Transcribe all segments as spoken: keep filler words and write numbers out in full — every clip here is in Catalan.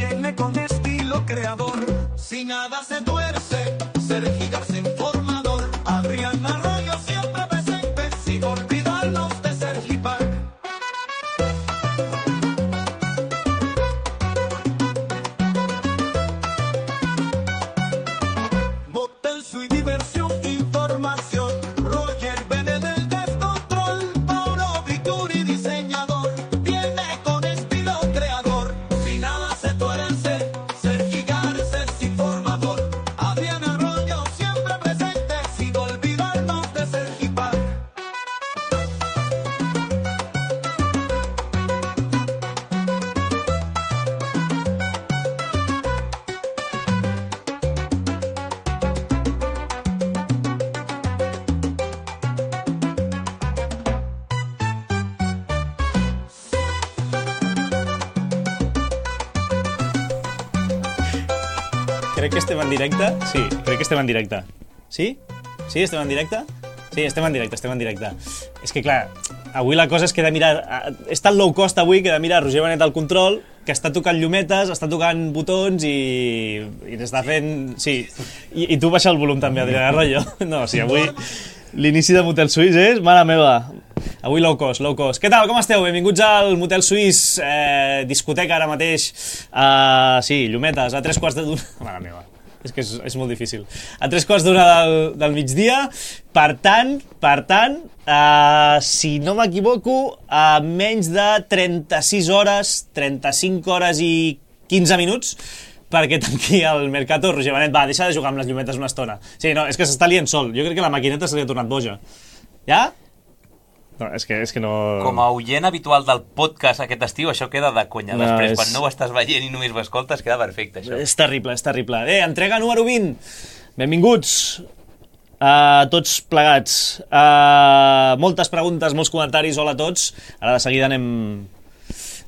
viene con estilo creador. Si nada se tuerce, Sergi García informador. Adrián Arroyo siempre presente, sin olvidarnos de Sergi Park. Motel Suite, diversión, información. Roger Benedel, descontrol. Mauro Vicuri, diseñador. Viene con estilo creador. Si nada se tuerce, Sergi García es informador. Adrián Arroyo siempre presente, sin olvidarnos de Sergi Park. Crec que estem en directe. Sí, crec que estem en directe. Sí? Sí, estem en directe? Sí, estem en directe, estem en directe. És que, clar, avui la cosa és que he de mirar... És tan low cost avui que he de mirar Roger Benet al control, que està tocant llumetes, està tocant botons i... i n'està fent... Sí. I, I tu baixa el volum també, Adrián Arroyo. No, sí, avui l'inici de Motel Suís és... Mare meva. Avui low cost, low cost. Què tal, com esteu? Benvinguts al Motel Suís, eh, discoteca ara mateix. Uh, sí, llumetes, a tres quarts de d'una... Mare meva. És que és, és molt difícil. A tres quarts d'una del, del migdia. Per tant, per tant, uh, si no m'equivoco, a menys de trenta-sis hores, trenta-cinc hores i quinze minuts, perquè tanqui el Mercato. Roger Benet, va, deixa de jugar amb les llumetes una estona. Sí, no, és que s'està liant sol. Jo crec que la maquineta se li ha tornat boja. Ja? No, és que, és que no... Com a oient habitual del podcast aquest estiu, això queda de conya. No, Després, és... quan no ho estàs veient i només ho escoltes, queda perfecte, això. És terrible, és terrible. Eh, entrega número vint. Benvinguts a tots plegats. Uh, moltes preguntes, molts comentaris, hola a tots. Ara de seguida anem,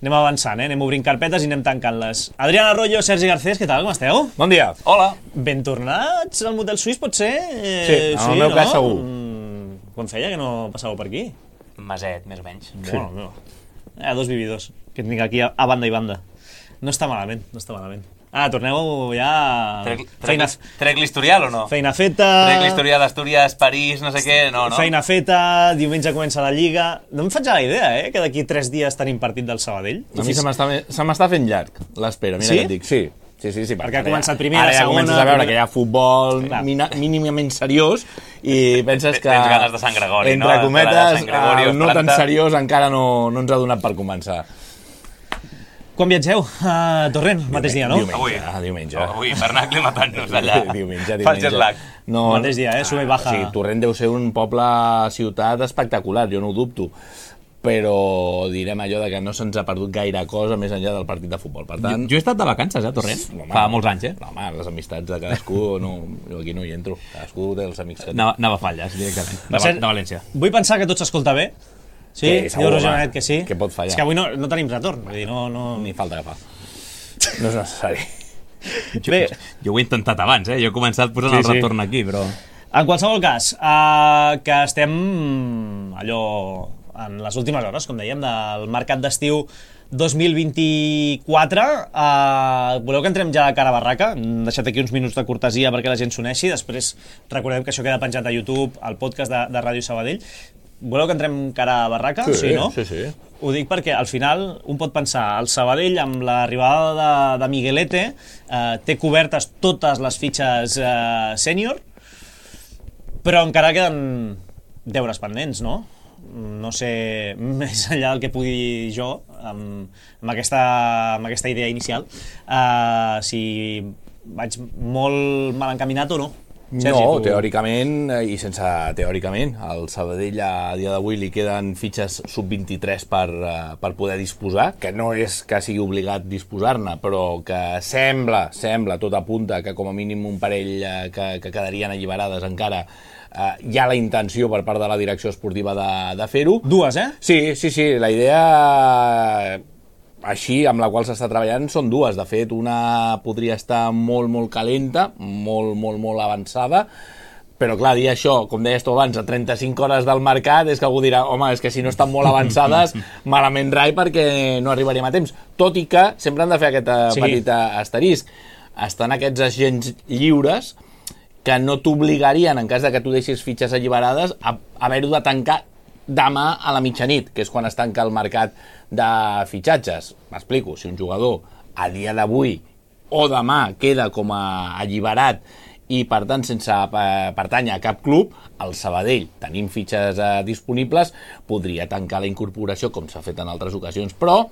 anem avançant, eh? Anem obrint carpetes i anem tancant-les. Adrián Arroyo, Sergi Garcés, què tal, com esteu? Bon dia. Hola. Ben tornats al Motel Suís, pot ser? Eh, Sí, en el meu no? cas segur. Mm, quan feia que no passàveu per aquí? Maset, més o menys. Sí. Bueno, no. Hi ha dos vividors que tinc aquí a, a banda i banda. No està malament, no està malament. Ah, torneu ja... Trec, Feina, trec, trec l'historial o no? feina feta... Trec l'historial d'Astúries, París, no sé què, no, no? Feina feta, diumenge comença la Lliga... No em faig a la idea, eh, que d'aquí tres dies tenim partit del Sabadell. A mi se m'està se m'està fent llarg l'espera, mira Sí? què et dic. Sí, sí, sí. sí Perquè ha ara començat ja- primera, ara ja segona, comences a veure primera- que hi ha futbol Clar. mina, mínimament seriós i penses que... Tens ganes de Sant Gregori, no? Entre De cometes, Sant Gregori, el no tan planta. seriós encara no, no ens ha donat per començar. Quan viatgeu? A Torrent, mateix dia, no? Diumenge, Avui. ah, diumenge. Oh, avui, Bernacle matant-nos allà. diumenge, Fa el diumenge. jet lag. No, Mateix dia, eh? Sube i baja. Sí, Torrent deu ser un poble, ciutat espectacular, jo no ho dubto. Però direm allò de que no se'ns ha perdut gaire cosa més enllà del partit de futbol. Per tant, Jo, jo he estat de vacances, eh, a Torrent, home, fa molts anys, eh? No, home, les amistats de cadascú, no, jo aquí no hi entro. Cadascú té els amics que té. Anava, anava a Falles, directament, de, Va ser- de València. Vull pensar que tot s'escolta bé. Sí, Sí, segur, diu Roger home. Benet que sí. Què pot fallar? És que avui no, no tenim retorn. Vull dir, no, no... Ni falta que fa. No és necessari. Bé, Jo ho he intentat abans, eh? Jo he començat posant Sí, el sí. retorn aquí, però... en qualsevol cas, uh, que estem allò en les últimes hores, com dèiem, del mercat d'estiu dos mil vint-i-quatre. Uh, voleu que entrem ja de cara a barraca? Hem deixat aquí uns minuts de cortesia perquè la gent s'uneixi. Després recordem que això queda penjat a YouTube, al podcast de, de Ràdio Sabadell. Voleu que entrem cara a barraca? Sí, no? sí, sí. Ho dic perquè al final un pot pensar el Sabadell amb l'arribada de, de Miguelete eh, té cobertes totes les fitxes eh, sènior, però encara queden deures pendents, no? No sé, més enllà del que pugui dir jo amb, amb, aquesta, amb aquesta idea inicial, eh, si vaig molt mal encaminat o no. Sergi, No, tu- teòricament, eh, i sense teòricament, al Sabadell a dia d'avui li queden fitxes sub vint-i-tres per, eh, per poder disposar, que no és que sigui obligat disposar-ne, però que sembla, sembla, tot apunta que com a mínim un parell eh, que, que quedarien alliberades encara, eh, hi ha la intenció per part de la direcció esportiva de, de fer-ho. Dues, eh? Sí, sí, sí, la idea així amb la qual s'està treballant són dues. De fet, una podria estar molt, molt calenta, molt, molt, molt avançada, Però clar, dir això, com deies tu abans, a trenta-cinc hores del mercat, és que algú dirà, home, és que si no estan molt avançades, malament rai perquè no arribaríem a temps. Tot i que sempre han de fer aquest sí. petit asterisc. Estan aquests agents lliures que no t'obligarien, en cas de que tu deixis fitxes alliberades, a haver-ho de tancar demà a la mitjanit, que és quan es tanca el mercat de fitxatges. M'explico, si un jugador a dia d'avui o demà queda com a alliberat i per tant sense pertànyer a cap club, el Sabadell, tenint fitxes eh, disponibles, podria tancar la incorporació com s'ha fet en altres ocasions, però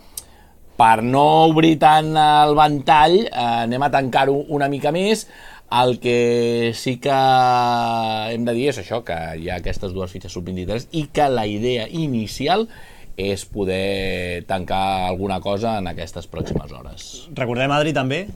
per no obrir tant el ventall eh, anem a tancar-ho una mica més. El que sí que hem de dir és això, que hi ha aquestes dues fitxes sub vint-i-tres i que la idea inicial és poder tancar alguna cosa en aquestes pròximes hores. Recordem, Adri, també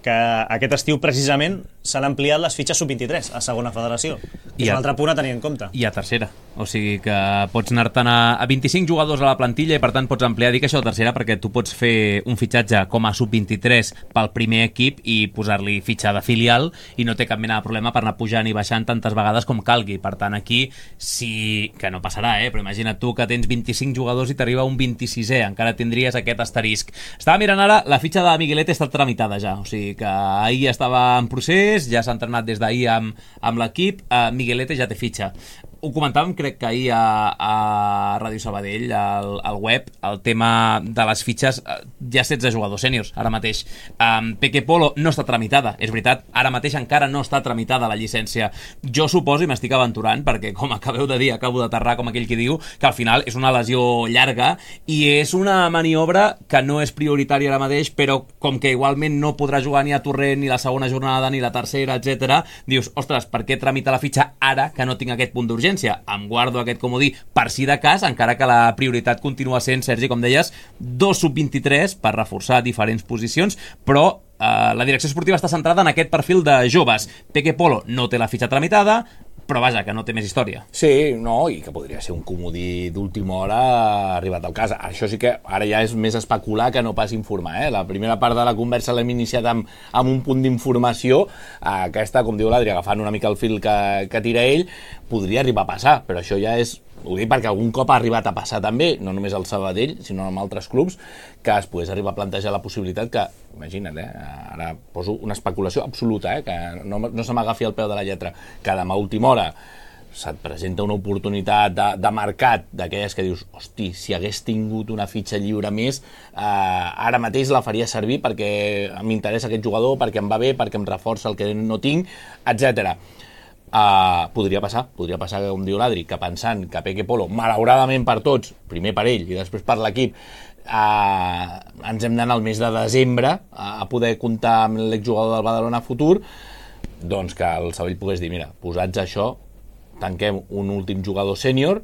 que aquest estiu precisament s'han ampliat les fitxes sub vint-i-tres a segona federació. I és un altre punt a tenir en compte. I a tercera. O sigui que pots anar-te'n a, a vint-i-cinc jugadors a la plantilla i per tant pots ampliar. Dic això de tercera perquè tu pots fer un fitxatge com a sub vint-i-tres pel primer equip i posar-li fitxa de filial i no té cap mena de problema per anar pujant i baixant tantes vegades com calgui. Per tant, aquí sí que no passarà, eh? Però imagina't tu que tens vint-i-cinc jugadors i t'arriba un vint-i-sisè. Encara tindries aquest asterisc. Estava mirant ara, la fitxa de Miguelete està tramitada ja. O sigui que ahir estava en procés, ja s'ha entrenat des d'ahir amb, amb l'equip, uh, Miguelete ja té fitxa. Ho comentàvem, crec que ahir a, a Ràdio Sabadell, al, al web, el tema de les fitxes, hi ha setze jugadors sèniors, ara mateix. Um, Peque Polo no està tramitada, és veritat, ara mateix encara no està tramitada la llicència. Jo suposo, i m'estic aventurant, perquè com acabeu de dir, acabo d'aterrar, com aquell que diu, que al final és una lesió llarga i és una maniobra que no és prioritària ara mateix, però com que igualment no podrà jugar ni a Torrent, ni la segona jornada, ni la tercera, etcètera, dius, ostres, per què tramita la fitxa ara que no tinc aquest punt d'urgència? Em guardo aquest comodí per si de cas, encara que la prioritat continua sent, Sergi, com deies, dos sub vint-i-tres per reforçar diferents posicions, però eh, la direcció esportiva està centrada en aquest perfil de joves. Peque Polo no té la fitxa tramitada, però vaja, que no té més història. Sí, no, i que podria ser un comodí d'última hora arribat al cas. Això sí que ara ja és més especular que no pas informar, eh? La primera part de la conversa l'hem iniciat amb, amb un punt d'informació. Aquesta, com diu l'Adri, agafant una mica el fil que, que tira ell, podria arribar a passar, però això ja és... Ho dic perquè algun cop ha arribat a passar també, no només al Sabadell, sinó en altres clubs, que es pogués arribar a plantejar la possibilitat que, imagina't, eh, ara poso una especulació absoluta, eh, que no, no se m'agafi al peu de la lletra, que demà a última hora se't presenta una oportunitat de, de mercat d'aquelles que dius, hosti, si hagués tingut una fitxa lliure més, eh, ara mateix la faria servir perquè m'interessa aquest jugador, perquè em va bé, perquè em reforça el que no tinc, etcètera. Uh, podria passar, podria passar, com diu l'Adri, que pensant que Peque Polo, malauradament per tots, primer per ell i després per l'equip, uh, ens hem d'anar al mes de desembre uh, a poder comptar amb l'exjugador del Badalona futur, doncs que el Sabadell pogués dir, mira, posats això, tanquem un últim jugador sènior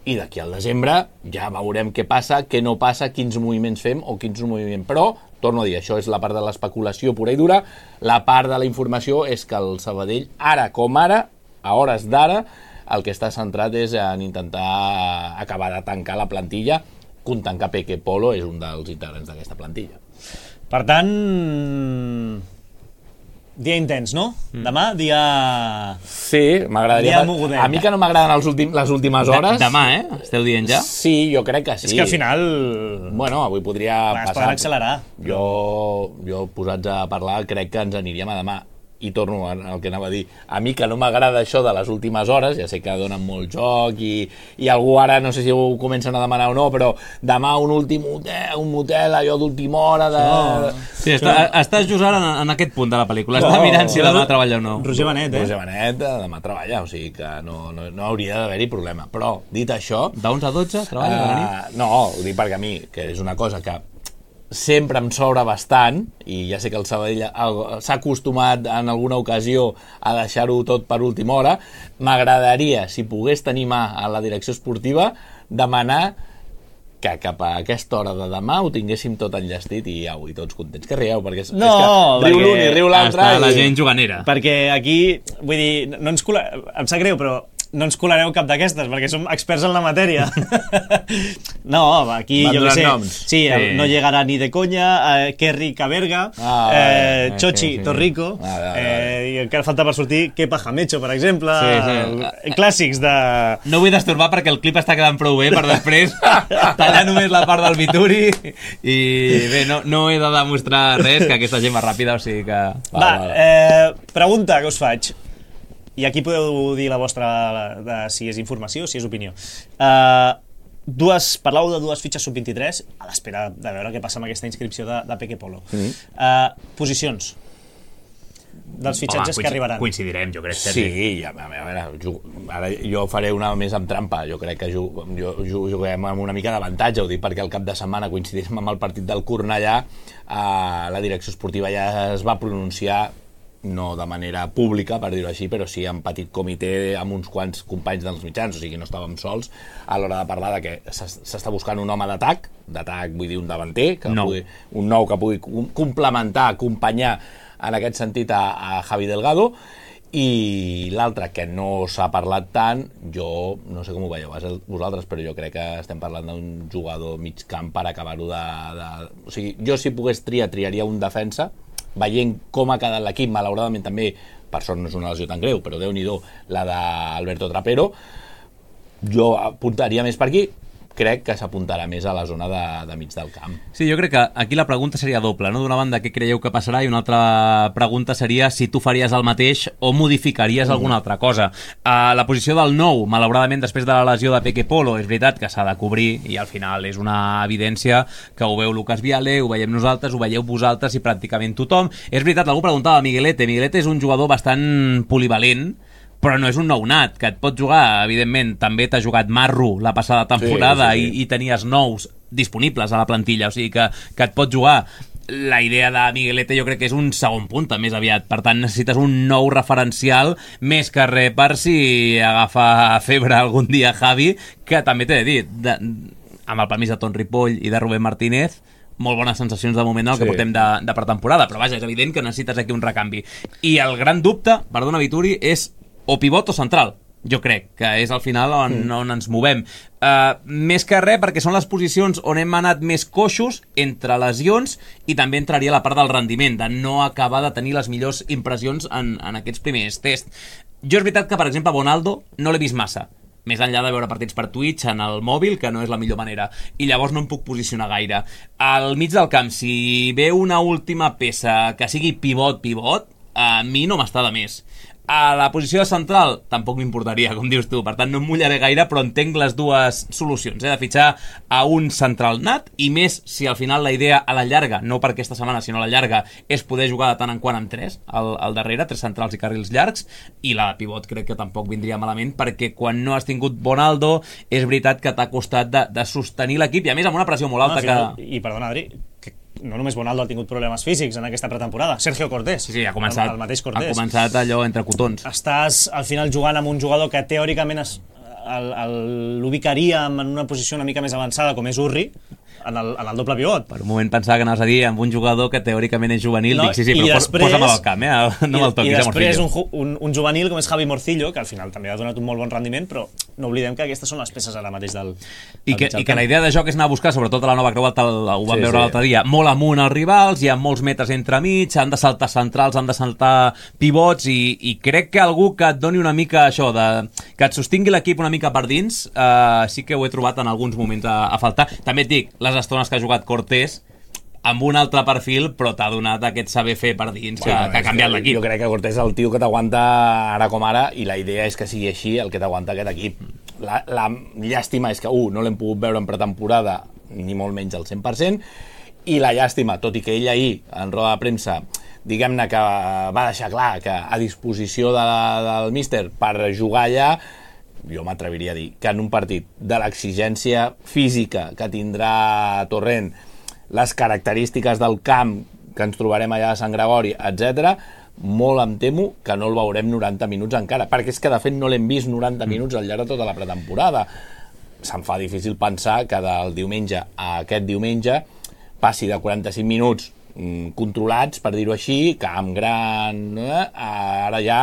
i d'aquí al desembre ja veurem què passa, què no passa, quins moviments fem o quins moviments, però torno a dir, això és la part de l'especulació pura i dura. La part de la informació és que el Sabadell, ara com ara, a hores d'ara, el que està centrat és en intentar acabar de tancar la plantilla, comptant que Peque Polo és un dels integrants d'aquesta plantilla. Per tant, dia intens, no? Mm. Demà, dia... Sí, m'agradaria... Dia mogudet. A mi que no m'agraden els últim, les últimes hores... De, demà, eh? Esteu dient ja? Sí, jo crec que sí. És que al final... Bueno, avui podria Clar, passar... Es poden accelerar. Jo, jo, posats a parlar, crec que ens aniríem a demà. I torno al que anava a dir. A mi que no m'agrada això de les últimes hores, ja sé que donen molt joc i, i algú ara, no sé si ho comencen a demanar o no, però demà un últim motel, un motel allò d'última hora de... No. Sí, està, estàs just ara en, en aquest punt de la pel·lícula. Està no, mirant si demà treballa o no. Roger Benet, eh? Roger Benet demà treballa, o sigui que no, no, no hauria d'haver-hi problema. Però, dit això... D'onze a dotze treballa uh, a la nit? No, ho dic perquè a mi, que és una cosa que sempre em sobra bastant, i ja sé que el Sabadell s'ha acostumat en alguna ocasió a deixar-ho tot per última hora, m'agradaria, si pogués tenir mà a la direcció esportiva, demanar que cap a aquesta hora de demà ho tinguéssim tot enllestit i au, i tots contents. Que rieu, perquè és, no, és que riu l'un i riu l'altre. Està i... la gent juganera. Perquè aquí, vull dir, no ens col·la... em sap greu, però no ens colareu cap d'aquestes, perquè som experts en la matèria. No, aquí, Van jo què donant sé, noms. sí, el, Sí. no llegarà ni de conya, eh, Kerry Caberga, Ah, eh, vale. Chochi Sí, sí. Torrico, Ah, vale, vale. eh, i encara falta per sortir Kepa Jamecho, per exemple, Sí, sí. eh, clàssics de... No vull destorbar perquè el clip està quedant prou bé per després tallar només la part del Vituri i bé, no, no he de demostrar res, que aquesta gent va ràpida, o sigui que... Va, eh, pregunta que us faig. I aquí podeu dir la vostra, de, si és informació o si és opinió. Uh, dues, parlau de dues fitxes sub vint-i-tres a l'espera de veure què passa amb aquesta inscripció de, de Peque Polo. Mm. Uh, posicions dels fitxatges Home, que arribaran. Coincidirem, jo crec, Sergi. Sí, a veure, ju- ara jo faré una més amb trampa. Jo crec que ju- jo, jo, juguem amb una mica d'avantatge, ho dic perquè el cap de setmana coincidim amb el partit del Cornellà, eh, la direcció esportiva ja es va pronunciar, no de manera pública, per dir-ho així, però sí en petit comitè amb uns quants companys dels mitjans, o sigui, no estàvem sols, a l'hora de parlar de que s'es- s'està buscant un home d'atac, d'atac vull dir un davanter, que Nou. pugui, un nou que pugui com- complementar, acompanyar en aquest sentit a, a Javi Delgado, i l'altre que no s'ha parlat tant, jo no sé com ho veieu vosaltres, però jo crec que estem parlant d'un jugador mig camp per acabar-ho de, de... O sigui, jo si pogués triar, triaria un defensa, veient com ha quedat l'equip, malauradament també, per sort no és una lesió tan greu, però Déu-n'hi-do, la d'Alberto Trapero, jo apuntaria més per aquí, crec que s'apuntarà més a la zona de, de mig del camp. Sí, jo crec que aquí la pregunta seria doble, no? D'una banda, què creieu que passarà? I una altra pregunta seria si tu faries el mateix o modificaries mm. alguna altra cosa. A la posició del nou, malauradament, després de la lesió de Peque Polo, és veritat que s'ha de cobrir i al final és una evidència que ho veu Lucas Viale, ho veiem nosaltres, ho veieu vosaltres i pràcticament tothom. És veritat, algú preguntava a Miguelete. Miguelete és un jugador bastant polivalent, però no és un nounat, que et pot jugar, evidentment, també t'ha jugat Marro la passada temporada Sí, sí, sí. I, i tenies nous disponibles a la plantilla, o sigui que, que et pot jugar. La idea de Miguelete jo crec que és un segon punta més aviat, per tant necessites un nou referencial més que res per si agafa febre algun dia Javi, que també t'he de dir, de, amb el permís de Ton Ripoll i de Rubén Martínez, molt bones sensacions de moment el que Sí. portem de, de pretemporada, però vaja, és evident que necessites aquí un recanvi. I el gran dubte, perdona Vituri, és o pivot o central. Jo crec que és al final on, mm. on ens movem. Uh, més que res perquè són les posicions on hem anat més coixos entre lesions i també entraria la part del rendiment, de no acabar de tenir les millors impressions en, en aquests primers tests. Jo és veritat que, per exemple, Bonaldo no l'he vist massa, més enllà de veure partits per Twitch en el mòbil, que no és la millor manera, i llavors no em puc posicionar gaire. Al mig del camp, si ve una última peça que sigui pivot-pivot, a mi no m'està de més. A la posició de central tampoc m'importaria, com dius tu, per tant no em mullaré gaire, però entenc les dues solucions, eh? De fitxar a un central nat, i més si al final la idea a la llarga, no per aquesta setmana sinó a la llarga, és poder jugar de tant en quant amb tres al, al darrere, tres centrals i carrils llargs, i la de pivot crec que tampoc vindria malament, perquè quan no has tingut Bonaldo és veritat que t'ha costat de, de sostenir l'equip, i a més amb una pressió molt alta. No, final, que... I perdona, Adri, que no només Bonaldo ha tingut problemes físics en aquesta pretemporada, Sergio Cortés. Sí, sí, ha començat, el, el mateix ha Cortés. començat allò entre cotons. Estàs al final jugant amb un jugador que teòricament es, el, el, l'ubicaria en una posició una mica més avançada, com és Urri, en el, en el doble pivot. Per un moment pensava que anaves a dir amb un jugador que teòricament és juvenil, No, dic, sí, sí, i però després- posa-me'l al camp, eh? No me'l I, toquis, i eh, després Morcillo. un, ju- un, un juvenil com és Javi Morcillo, que al final també ha donat un molt bon rendiment, però no oblidem que aquestes són les peces ara mateix del, I del que, mig del I que la camp. idea de joc és anar a buscar, sobretot a la nova creuata, ho vam Sí, veure sí. l'altre dia, molt amunt els rivals, hi ha molts metres entremig, han de saltar centrals, han de saltar pivots, i, i crec que algú que et doni una mica això, de, que et sostingui l'equip una mica per dins, eh, sí que ho he trobat en alguns moments a, a faltar. També et dic, les estones que ha jugat Cortés, amb un altre perfil, però t'ha donat aquest saber fer per dins, que, Bueno, que ha és canviat que l'equip. Jo crec que Cortés és el tio que t'aguanta ara com ara, i la idea és que sigui així el que t'aguanta aquest equip. La, la llàstima és que, uh, no l'hem pogut veure en pretemporada, ni molt menys al cent per cent, i la llàstima, tot i que ell ahir, en roda de premsa, diguem-ne que va deixar clar que a disposició de la, del míster per jugar allà, jo m'atreviria a dir que en un partit de l'exigència física que tindrà Torrent, les característiques del camp que ens trobarem allà a Sant Gregori, etcètera, molt em temo que no el veurem noranta minuts encara, perquè és que de fet no l'hem vist noranta minuts al llarg de tota la pretemporada. Se'm fa difícil pensar que del diumenge a aquest diumenge passi de quaranta-cinc minuts mm, controlats, per dir-ho així, camp gran, eh, ara ja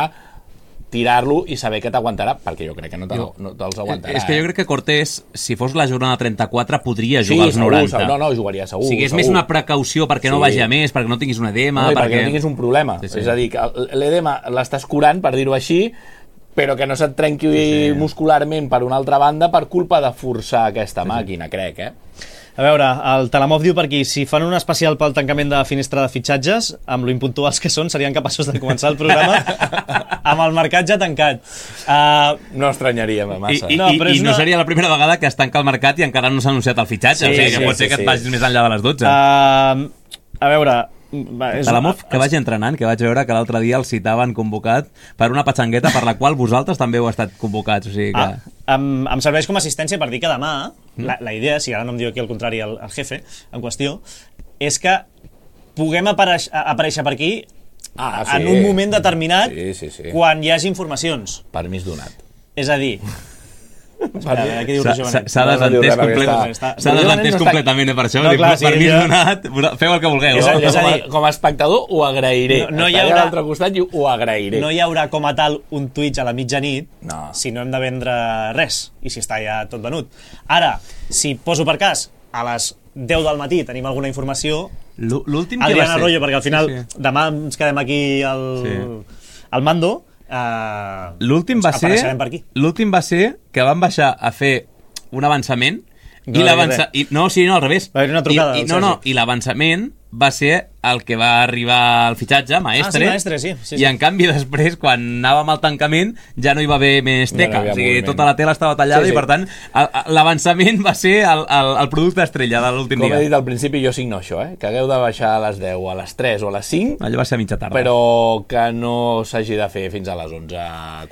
tirar-lo i saber que t'aguantarà, perquè jo crec que no, te, no te'ls aguantarà. És que jo crec que Cortés, si fos la jornada trenta-quatre, podria sí, jugar als segur, noranta. Segur, no, no, jugaria segur. O sigui, és segur. més una precaució perquè no Sí. vagi a més, perquè no tinguis un edema... No, i perquè... perquè no tinguis un problema. Sí, sí. És a dir, que l'edema l'estàs curant, per dir-ho així, però que no se't trenqui sí, sí. muscularment per una altra banda per culpa de forçar aquesta sí, màquina, sí. crec, eh? A veure, el Talamov diu per aquí, si fan un especial pel tancament de finestra de fitxatges, amb lo impuntuals que són, serien capaços de començar el programa amb el mercat ja tancat. Uh, no estranyaríem massa. I, i, no, però i, i no una... seria la primera vegada que es tanca el mercat i encara no s'ha anunciat el fitxatge, sí, o sigui que sí, pot ser sí, que et vagis sí. més enllà de les dotze. Uh, a veure... Va, és Talamov, que vagi entrenant, que vaig veure que l'altre dia el citaven convocat per una patxangueta per la qual vosaltres també heu estat convocats. O sigui que... ah, em, em serveix com a assistència per dir que demà, mm. la, la idea, si ara no em diu aquí el contrari el, el jefe en qüestió, és que puguem apareix, aparèixer per aquí ah, sí. en un moment determinat sí, sí, sí. quan hi hagi informacions. Permís donat. És a dir... S'ha desentès completament, s'ha desentès completament per això, no, clar, per mi donat, feu el que vulgueu. És a, és a dir, com a espectador ho agrairé, no, no hi haurà, a l'altre costat i ho agrairé. No hi haurà com a tal un Twitch a la mitjanit no. si no hem de vendre res i si està ja tot venut. Ara, si poso per cas a les deu del matí tenim alguna informació, l'últim Adrián Arroyo, perquè al final sí, sí. demà ens quedem aquí al, sí. al mando. Uh, l'últim va ser l'últim va ser que van baixar a fer un avançament no, i l'avançament no, sí, no, al revés trucada, I, i, no, no, i l'avançament va ser el que va arribar al fitxatge, Maestre, ah, sí, Maestre sí, sí, sí. i en canvi després quan anàvem al tancament ja no hi va haver més teca, no o sigui, tota la tela estava tallada sí, sí. i per tant l'avançament va ser el, el, el producte estrella de l'últim dia. Com he dit al principi, jo signo això, eh? que hagueu de baixar a les deu, a les tres o a les cinc, allò va ser a mitja tarda, però que no s'hagi de fer fins a les onze,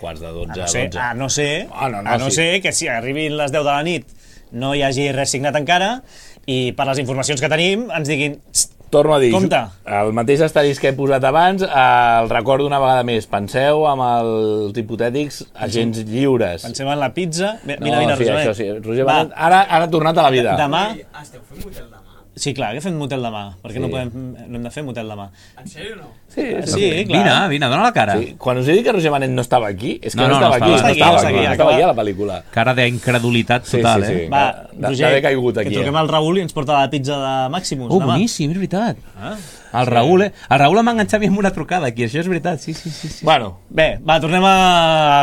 quarts de dotze, a no ser, dotze. A no ser, ah, no, no, a no sí. ser que si arribin les deu de la nit no hi hagi res signat encara i per les informacions que tenim ens diguin torno a dir, compte. El mateix asterisc que he posat abans, el recordo una vegada més, penseu amb els hipotètics agents lliures. Penseu en la pizza. Mira, no, mira, sí, Roger. Això sí. Roger Benet, ara, ara ha tornat a la vida. Demà... Ah, esteu fent motel demà? Sí, clar, que fem motel demà. Perquè sí. no, podem, no hem de fer motel demà. En sèrio no? Sí, sí, sí clar. Vine, vine, dona la cara. Sí. Quan us he dit que Roger Benet no estava aquí, és que no, no, no, no estava no aquí. estava, No estava, aquí, aquí, no estava aquí a la pel·lícula. Cara d'incredulitat total, sí, sí, sí. eh? Va, de, Roger, de caigut aquí, que truquem eh? al Raül i ens porta la pizza de Maximus. Oh, demà. boníssim, és veritat. Ah, el Raül, eh? El Raül m'ha enganxat amb una trucada aquí, això és veritat, sí, sí, sí. sí. Bueno. Bé, va, tornem a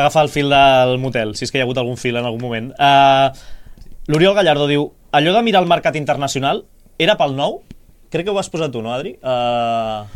agafar el fil del motel, si és que hi ha hagut algun fil en algun moment. Uh, L'Oriol Gallardo diu, allò de mirar el mercat internacional era pel nou? Crec que ho has posat tu, no, Adri? Uh,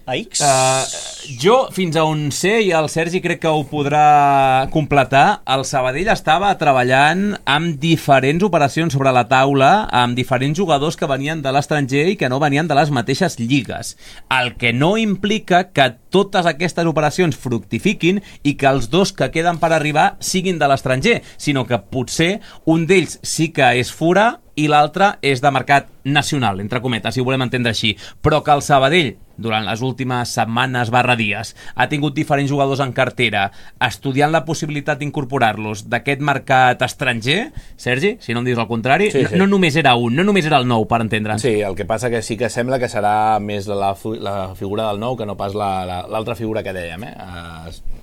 a X? Uh, jo, fins a on sé, i el Sergi crec que ho podrà completar, el Sabadell estava treballant amb diferents operacions sobre la taula, amb diferents jugadors que venien de l'estranger i que no venien de les mateixes lligues. El que no implica que totes aquestes operacions fructifiquin i que els dos que queden per arribar siguin de l'estranger, sinó que potser un d'ells sí que és fora i l'altre és de mercat nacional, entre cometes, si ho volem entendre així. Però que el Sabadell, durant les últimes setmanes barra dies, ha tingut diferents jugadors en cartera, estudiant la possibilitat d'incorporar-los d'aquest mercat estranger, Sergi, si no em dius el contrari, sí, sí. No, no només era un, no només era el nou, per entendre'ns. Sí, el que passa que sí que sembla que serà més la, la figura del nou que no pas l'altra la, la, figura que dèiem, eh? Uh,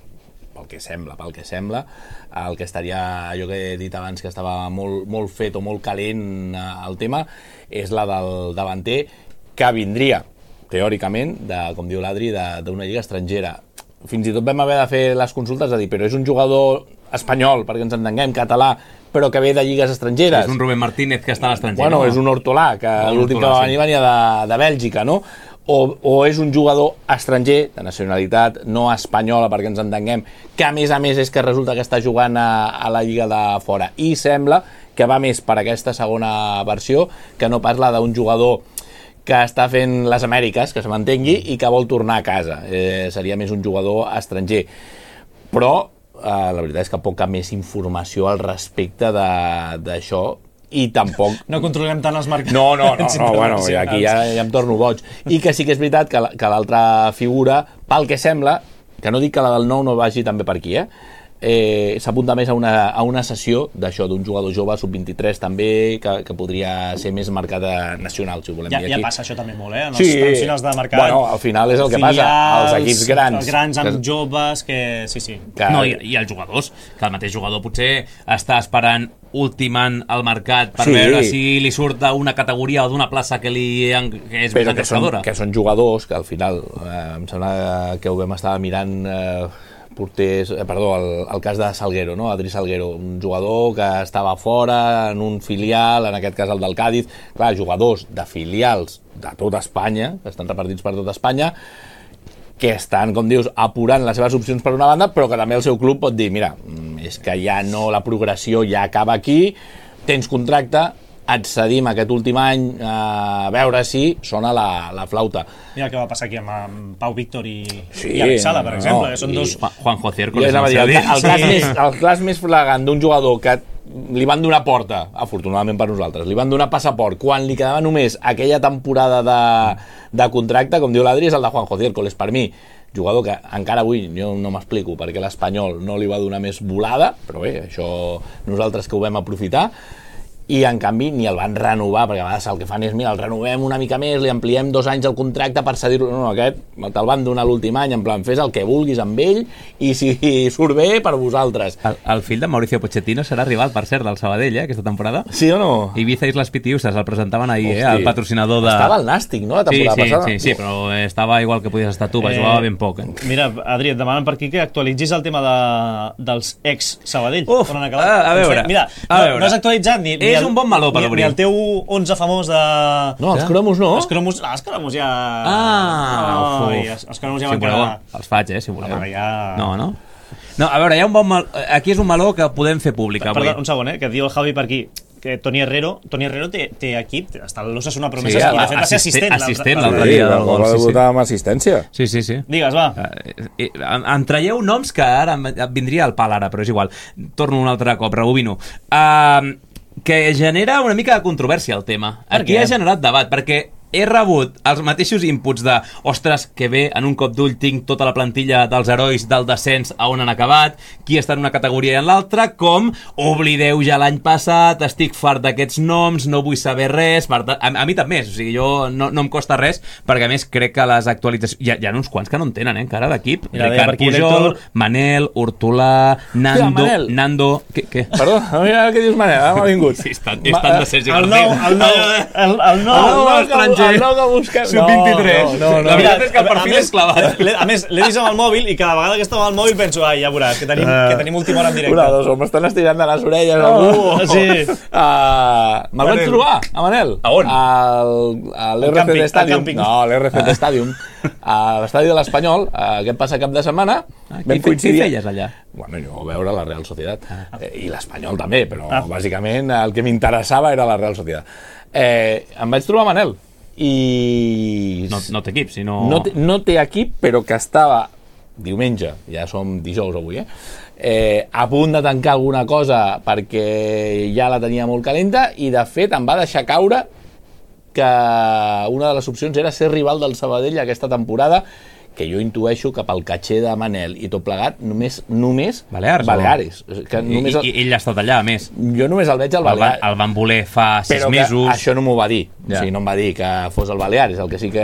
pel que sembla, pel que sembla, el que estaria, allò que he dit abans que estava molt, molt fet o molt calent el tema, és la del davanter que vindria, teòricament, de, com diu l'Adri, d'una lliga estrangera. Fins i tot vam haver de fer les consultes a dir, però és un jugador espanyol, perquè ens entenguem, català, però que ve de lligues estrangeres. És un Rubén Martínez que està a l'estranger. Bueno, no? És un Hortolà, que l'últim que va venir venia de, de Bèlgica, no? O, o és un jugador estranger, de nacionalitat no espanyola, perquè ens entenguem, que a més a més és que resulta que està jugant a, a la lliga de fora. I sembla que va més per aquesta segona versió que no parla d'un jugador que està fent les Amèriques, que se m'entengui, i que vol tornar a casa. Eh, seria més un jugador estranger. Però eh, la veritat és que poca més informació al respecte d'això, i tampoc... No controlem tant els mercats. No, no, no, no bueno, aquí ja, ja em torno boig. I que sí que és veritat que l'altra figura, pel que sembla, que no dic que la del nou no vagi també per aquí, eh? eh, s'apunta més a una, a una sessió d'això, d'un jugador jove sub vint-i-tres també, que, que podria ser més mercat nacional, si ho volem Ja, dir ja aquí. passa això també molt, eh? En els Sí. trams finals de mercat. Bueno, al final és el que passa, els equips grans. Els grans amb que- joves, que... Sí, sí. que- No, i, i els jugadors, que el mateix jugador potser està esperant ultimant el mercat per Sí. veure si li surt d'una categoria o d'una plaça que, li, que és però més que són, engrescadora. que són jugadors que al final eh, em sembla que ho vam estar mirant eh, porters, eh, perdó, el, el cas de Salguero, no? Adri Salguero, un jugador que estava fora en un filial, en aquest cas el del Càdiz. Clar, jugadors de filials de tota Espanya, que estan repartits per tota Espanya, que estan, com dius, apurant les seves opcions per una banda, però que també el seu club pot dir, mira, és que ja no, la progressió ja acaba aquí, tens contracte, et cedim aquest últim any a veure si sona la, la flauta. Mira el que va passar aquí amb, amb Pau Víctor i, Sí, i Alex Sala, per no, exemple, que són i- dos... Juan- Juanjo Cierco, Jo anava a dir, el, el, cas Sí. més, el cas més flagrant d'un jugador que li van donar porta, afortunadament per nosaltres, li van donar passaport quan li quedava només aquella temporada de, de contracte, com diu l'Adri, és el de Juanjo Cierco. És per mi jugador que encara avui jo no m'explico perquè l'Espanyol no li va donar més volada, però bé, això nosaltres que ho vam aprofitar, i en canvi ni el van renovar, perquè a vegades el que fan és, mira, el renovem una mica més, li ampliem dos anys el contracte per cedir-lo. No, no, aquest te'l van donar l'últim any, en plan, fes el que vulguis amb ell, i si surt bé, per vosaltres. El, el fill de Mauricio Pochettino serà rival, per cert, del Sabadell, eh, aquesta temporada. Sí o no? Ibiza i les Pitiusses el presentaven ahir, eh, Hosti. el patrocinador de... Estava al Nàstic, no, la Sí, temporada sí, passada? sí, sí, però estava igual que podies estar tu, va Eh, jugava ben poc. Eh? Mira, Adri, et demanen per aquí que actualitzis el tema de, dels ex-Sabadell. Uf, on han acabat. a- a veure, Mira, a no, veure. no has actualitzat ni, ni És el, un bon meló per ni, obrir. ni el teu onze famós de... No, els cromos no. Els cromos, no, els cromos ja... Ah, Ai, uf. els, els cromos ja Si van voleu, quedar... els faig, eh, si voleu. Home, ja- No, no? No, a veure, hi ha un bon mal... Aquí és un meló que podem fer públic avui. Perdó, un segon, eh, que diu el Javi per aquí que Toni Herrero, Toni Herrero té, té equip, està a l'Osasuna Promeses, Sí, i de fet va ser assistent- assistent. assistent l'altre- l'altre dia del gol, sí, sí. amb assistència. Sí, sí, sí. Digues, va. Eh, eh, em, em traieu noms que ara em, em vindria al pal ara, però és igual. Torno un altre cop, rebobino. Uh, que genera una mica de controvèrsia el tema. Per Aquí què? ha generat debat, perquè he rebut els mateixos inputs de ostres, que bé, en un cop d'ull tinc tota la plantilla dels herois del descens a on han acabat, qui està en una categoria i en l'altra, com oblideu ja l'any passat, estic fart d'aquests noms, no vull saber res, per tant, a, a mi també, o sigui, jo no, no em costa res, perquè a més crec que les actualitzacions, hi ha, hi ha uns quants que no en tenen, eh, encara d'equip, Mira, deia Ricard per aquí Pujol, l'Héctor. Manel, Hortolà, Nando, Manel. Nando, què? què? Perdó, mira què dius, Manel, ara m'ha vingut. Sí, és tan, és tan de Sergi El García. nou, el nou, el, el nou, El nou estranger. El nou que busquem. sub vint-i-tres. No, no, no. La veritat és que el a perfil més, és clavat. l'he- A més, l'he vist amb el mòbil i cada vegada que estava al mòbil penso, ai, ja veuràs, que tenim, que tenim última hora en directe. Una, dos, m'estan estirant de les orelles. Oh, algú. sí. Uh, Me'l vaig trobar, a Manel. A on? Al, a Al l'R C càmping, D al Stadium. càmping. No, a l'R C D Stadium. A l'estadi de l'Espanyol, uh, aquest passat cap de setmana. Ah, vam Què fe- coincidir- què feies allà? Bueno, jo a veure la Real Societat. Eh, I l'Espanyol també, però Ah. bàsicament el que m'interessava era la Real Societat. Eh, em vaig trobar Manel. I... No, no té equip, sinó... No té, no té equip, però que estava diumenge, ja som dijous avui, eh? Eh, a punt de tancar alguna cosa perquè ja la tenia molt calenta i de fet em va deixar caure que una de les opcions era ser rival del Sabadell aquesta temporada, que jo intueixo que pel caché de Manel i tot plegat només, només Balears, Baleares. Que I, només i, i ell ha estat allà, a més. jo només el veig al El, van, Balears. el van voler fa sis Però que mesos. això no m'ho va dir. Ja. O sigui, no em va dir que fos el Baleares. El que sí que...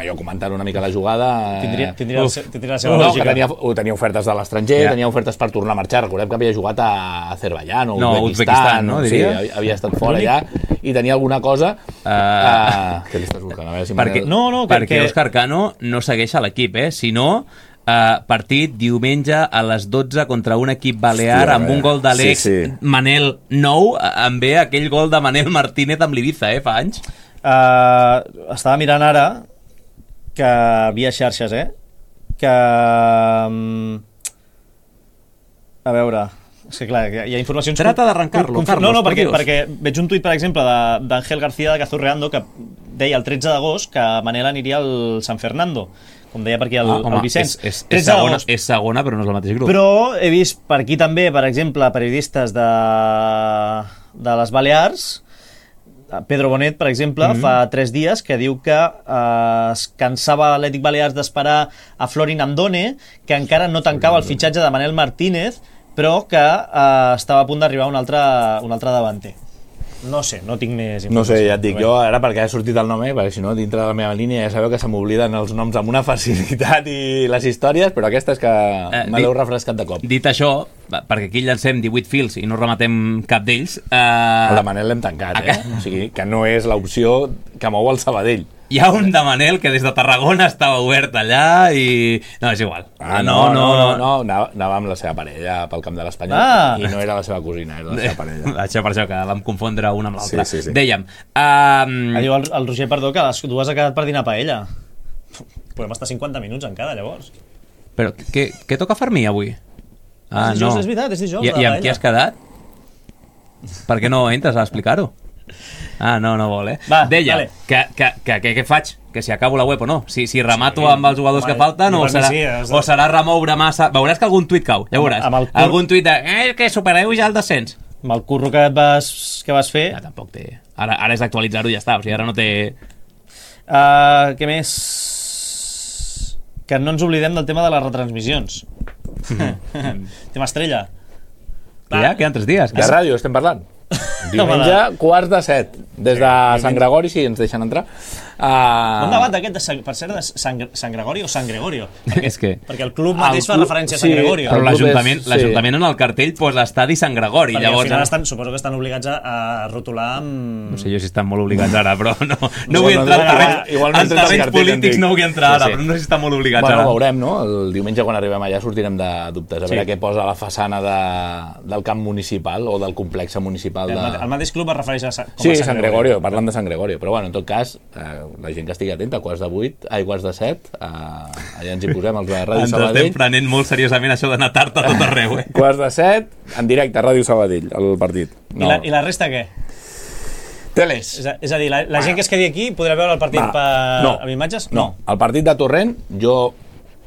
Jo comentant una mica la jugada... eh, Tindria, tindria, el, uf. se- tindria la seva No, lògica. que tenia, tenia ofertes de l'estranger, Ja. tenia ofertes per tornar a marxar. Recordem que havia jugat a Azerbaiyán o No, Uzbekistan, no, Sí, diria? havia- havia estat fora ja i tenia alguna cosa... Uh, Uh, què li estàs buscant? A veure si perquè, Manel- No, no, que- perquè que- Òscar Cano no segueix a l'equip, eh? Si no, uh, partit diumenge a les dotze contra un equip balear Hòstia, amb un eh? gol d'Àlex Sí, sí. Manel nou, eh, em ve aquell gol de Manel Martínez amb l'Ibiza, eh? Fa anys. Uh, estava mirant ara que via xarxes, eh? Que... Um, a veure... És que clar, hi ha informacions... Trata d'arrencar-lo, conf- Carlos, No, no, por perquè, Dios. perquè veig un tuit, per exemple, de- d'Ángel García de Cazorreando que deia el tretze d'agost que Manel aniria al San Fernando, com deia per aquí el, Ah, home, el Vicenç. és, és, és, tretze segona, d'agost. és segona, però no és el mateix grup. Però he vist per aquí també, per exemple, periodistes de, de les Balears Pedro Bonet, per exemple, mm-hmm. fa tres dies que diu que eh, es cansava l'Atlètic Balears d'esperar a Florin Andone, que encara no tancava el fitxatge de Manel Martínez, però que eh, estava a punt d'arribar un altre, un altre davanter. No sé, no tinc més informació. No sé, ja et dic, jo ara perquè ha sortit el nom, eh, perquè si no, dintre de la meva línia ja sabeu que se m'obliden els noms amb una facilitat i les històries, però aquesta és que eh, me l'heu refrescat de cop. Dit això, perquè aquí llancem divuit fils i no rematem cap d'ells... Eh... El de Manel l'hem tancat, eh? O sigui, que no és l'opció que mou el Sabadell. Hi ha un de Manel que des de Tarragona estava obert allà i... No, és igual. Ah, no, no, no, no, no. Anava, anava amb la seva parella pel camp de l'Espanyol ah. i no era la seva cosina, era la seva parella. Això per això, que vam confondre una amb l'altra. Sí, sí, sí. Dèiem... Um... Diu el, el Roger Perdó que les dues ha quedat per dinar paella. Podem estar cinquanta minuts encara, llavors. Però què, què toca fer mi avui? Ah, és dijous, no. és veritat, és dijous. I, i amb qui has quedat? Per què no entres a explicar-ho? Ah, no, no vol, eh? Va, Deia, vale. que, que, que, que, què faig? Que si acabo la web o no? Si, si remato sí, amb els jugadors home, que falten o serà, sí, o serà remoure massa... Veuràs que algun tuit cau, ja veuràs. Amb, amb cur... Algun tuit de... Eh, que supereu ja el descens. Amb el curro que vas, que vas fer... Ja, tampoc té... Ara, ara és d'actualitzar-ho i ja està, o sigui, ara no té... Uh, què més? Que no ens oblidem del tema de les retransmissions. Mm. Tema estrella. Ja, queden tres dies. De ràdio estem parlant. Diumenge, quarts de set, des de Sant Gregori, si ens deixen entrar. Uh... Un debat aquest, de Sant, per cert, de Sant, Sant Gregori o Sant Gregorio? Perquè, és que... perquè el club mateix el fa club, referència a Sant sí, Gregorio. Però l'Ajuntament sí. l'Ajuntament en el cartell posa estadi Sant Gregori. Perquè llavors, al final estan, suposo que estan obligats a, a rotular amb... No sé jo si estan molt obligats ara, però no, no vull entrar en terrenys, igual no en terrenys polítics, no vull entrar ara, sí, sí. però no sé si estan molt obligats bueno, ara. Bueno, veurem, no? El diumenge quan arribem allà sortirem de dubtes, a veure sí. què posa a la façana de, del camp municipal o del complex municipal. De... El, el mateix club es refereix a, com sí, a Sant, Sant Gregorio, parlant de Sant Gregorio, però bueno, en tot cas, eh, la gent que estigui atenta, quarts de vuit, ai, quarts de set, eh, allà ens hi posem, els de Ràdio ens Sabadell. Ens estem prenent molt seriosament això d'anar tard a tot arreu, eh? Quarts de set, en directe a Ràdio Sabadell, el partit. No. I, la, I la resta què? Teles. És a, és a dir, la, la gent que es quedi aquí podrà veure el partit Va, per, no, amb imatges? No. no, el partit de Torrent, jo...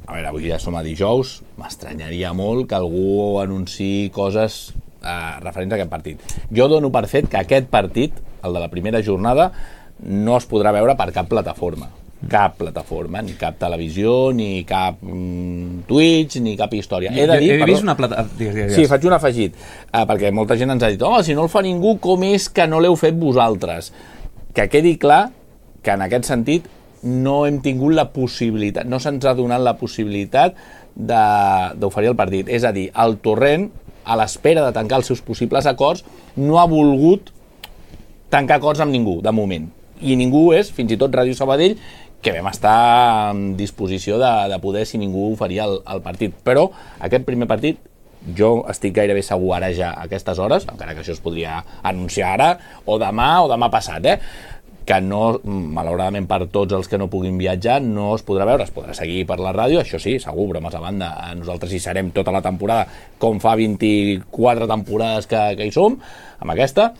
A veure, avui ja som a dijous, m'estranyaria molt que algú anunciï coses eh, referents a aquest partit. Jo dono per fet que aquest partit, el de la primera jornada, no es podrà veure per cap plataforma. Cap plataforma, ni cap televisió, ni cap mm, Twitch, ni cap història. He de dir, he perdó, vist una plataforma... Digues, digues. Sí, faig un afegit, eh, perquè molta gent ens ha dit home, si no el fa ningú, com és que no l'heu fet vosaltres? Que quedi clar que en aquest sentit no hem tingut la possibilitat, no se'ns ha donat la possibilitat d'oferir el partit. És a dir, el Torrent, a l'espera de tancar els seus possibles acords, no ha volgut tancar acords amb ningú, de moment. I ningú és, fins i tot Ràdio Sabadell, que vam estar en disposició de, de poder, si ningú oferia el, el partit. Però aquest primer partit, jo estic gairebé segur ara ja a aquestes hores, encara que això es podria anunciar ara, o demà, o demà passat, eh? que no, malauradament per tots els que no puguin viatjar, no es podrà veure, es podrà seguir per la ràdio, això sí, segur, bromes a banda, nosaltres hi serem tota la temporada, com fa vint-i-quatre temporades que, que hi som, amb aquesta,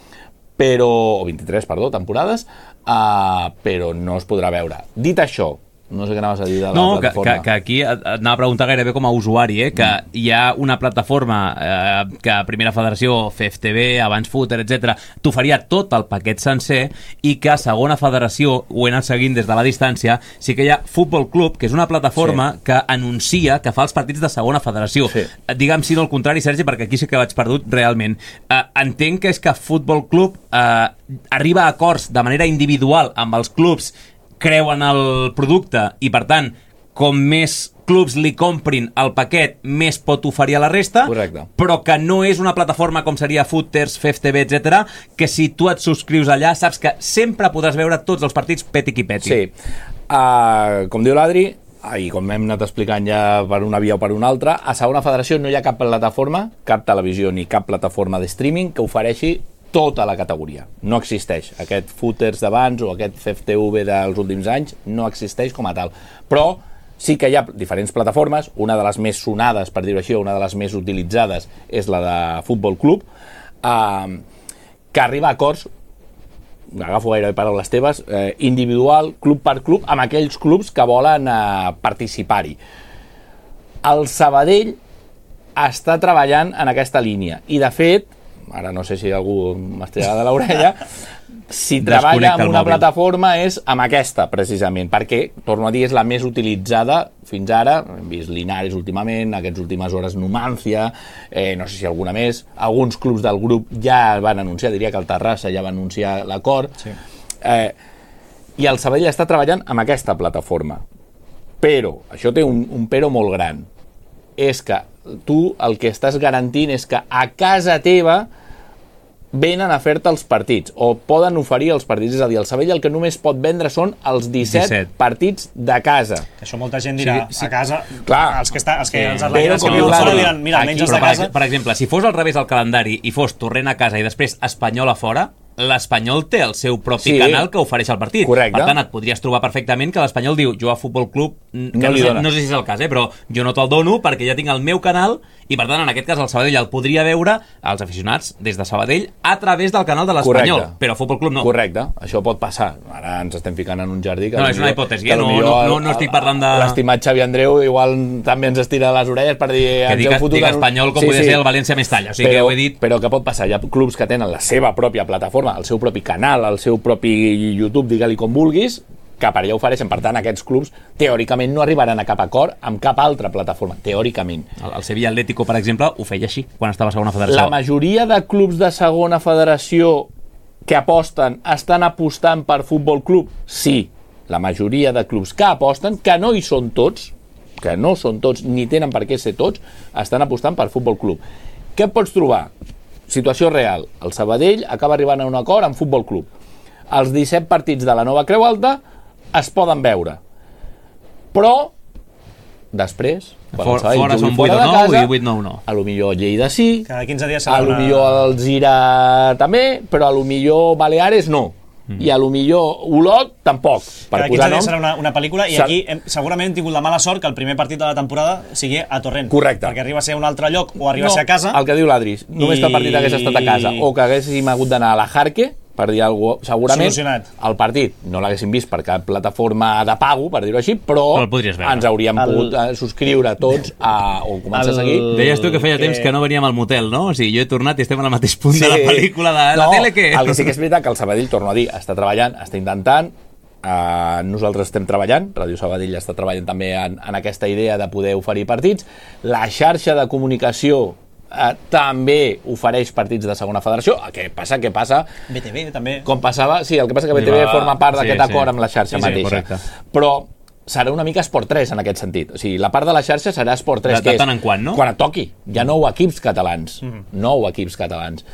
però, o vint-i-tres, perdó, temporades, uh, però no es podrà veure. Dit això, no sé què anaves a dir de la no, plataforma. Que, que, que aquí et anava a preguntar gairebé com a usuari, eh? que mm. hi ha una plataforma eh, que Primera Federació, F F T V, Abans Footer, etcètera, t'oferia tot el paquet sencer i que Segona Federació, ho he anat seguint des de la distància, sí que hi ha Futbol Club, que és una plataforma sí. que anuncia que fa els partits de Segona Federació. Sí. Digue'm si no el contrari, Sergi, perquè aquí sí que vaig perdut realment. Eh, entenc que és que Futbol Club eh, arriba a acords de manera individual amb els clubs, creuen el producte i, per tant, com més clubs li comprin el paquet, més pot oferir a la resta. Correcte. Però que no és una plataforma com seria Footers, F F T V, etcètera, que si tu et subscrius allà saps que sempre podràs veure tots els partits peti qui peti. Sí. Uh, com diu l'Adri, i com hem anat explicant ja per una via o per una altra, a Segona Federació no hi ha cap plataforma, cap televisió ni cap plataforma de streaming que ofereixi tota la categoria. No existeix. Aquest Footers d'abans o aquest F F T V dels últims anys no existeix com a tal. Però sí que hi ha diferents plataformes, una de les més sonades, per dir-ho així, una de les més utilitzades és la de Futbol Club, eh, que arriba a acords, agafo gairebé paraules teves, eh, individual, club per club, amb aquells clubs que volen eh, participar-hi. El Sabadell està treballant en aquesta línia i, de fet, ara no sé si algú m'estirarà de l'orella, si treballa amb una mòbil. plataforma és amb aquesta, precisament, perquè, torno a dir, és la més utilitzada fins ara. Hem vist Linares últimament, aquestes últimes hores Numancia, eh, no sé si alguna més. Alguns clubs del grup ja van anunciar, diria que el Terrassa ja va anunciar l'acord. Sí. Eh, I el Sabadell està treballant amb aquesta plataforma. Però, això té un, un però molt gran. És que tu el que estàs garantint és que a casa teva venen a fer-te els partits, o poden oferir els partits. És a dir, el Sabadell el que només pot vendre són els disset, disset. partits de casa. Que això molta gent dirà, Sí, sí. a casa, Clar. els que, està, els que Sí. els Però atletes que com viuen diu fora l'Adri, diran, mira, Aquí, almenys els però, de per, casa... ex- per exemple, si fos al revés el calendari i fos Torrent a casa i després Espanyol a fora, l'Espanyol té el seu propi Sí. canal que ofereix el partit. Correcte. Per tant, et podries trobar perfectament que l'Espanyol diu, jo a Futbol Club, que No no, li sé, dona. no sé si és el cas, eh, però jo no te'l dono perquè ja tinc el meu canal i, per tant, en aquest cas el Sabadell el podria veure als aficionats des de Sabadell a través del canal de l'Espanyol, Correcte. però a Futbol Club no. Correcte, això pot passar. Ara ens estem ficant en un jardí que... No, és potser- una hipòtesi, que eh? No- potser no- el- no- no estic parlant de- L'estimat Xavi Andreu igual també ens estira les orelles per dir... Que ens dic, heu fotut dic en un- Espanyol com Sí, podria sí. ser el València Mestalla, o sigui que però, ho he dit... Però què pot passar? Hi ha clubs que tenen la seva pròpia plataforma, el seu propi canal, el seu propi YouTube, digue-li com vulguis, que per allà ofereixen. Per tant, aquests clubs teòricament no arribaran a cap acord amb cap altra plataforma, teòricament. El, el Sevilla Atlético, per exemple, ho feia així quan estava a segona federació. La majoria de clubs de segona federació que aposten estan apostant per Futbol Club? Sí, la majoria de clubs que aposten, que no hi són tots, que no són tots, ni tenen per què ser tots, estan apostant per Futbol Club. Què et pots trobar? Situació real. El Sabadell acaba arribant a un acord amb Futbol Club. Els disset partits de la nova Creu Alta es poden veure. Però, després, quan For- el Sabadell fora jugui són fora vuit o de nou casa, i vuit nou no. a lo millor Lleida sí, Cada quinze dies serà a lo una... millor el Gira també, però a lo millor Baleares no. Mm. I a lo millor Olot tampoc, per Cada quinze posar dies nom. serà una, una pel·lícula i Sa- aquí hem, segurament hem tingut la mala sort que el primer partit de la temporada sigui a Torrent. Correcte. Perquè arriba a ser un altre lloc o arriba No, a ser a casa. el que diu l'Adri, només I- que el partit hagués estat a casa o que haguéssim hagut d'anar a la Jarque, per dir alguna cosa, segurament Solucionat. el partit no l'haguéssim vist per cap plataforma de pago, per dir-ho així, però, Però el podries veure. ens hauríem El- pogut eh, subscriure tots a, o començar El- a seguir. Deies tu que feia que- temps que no veníem al motel, no? O sigui, jo he tornat i estem al mateix punt Sí. de la pel·lícula de la no, tele que... El que sí que és veritat que el Sabadell, torno a dir, està treballant, està intentant, uh, nosaltres estem treballant, Ràdio Sabadell està treballant també en, en aquesta idea de poder oferir partits. La xarxa de comunicació uh, també ofereix partits de segona federació. Què passa? Què passa? B T V també. Com passava... Sí, el que passa que B T V Li va- forma part sí, d'aquest sí. acord amb la xarxa Sí, sí, mateixa. correcte. Però serà una mica Esport tres en aquest sentit. O sigui, la part de la xarxa serà Esport tres, De- de que és tant en quant, no? quan et toqui. Hi ha nou equips catalans. Nou equips catalans.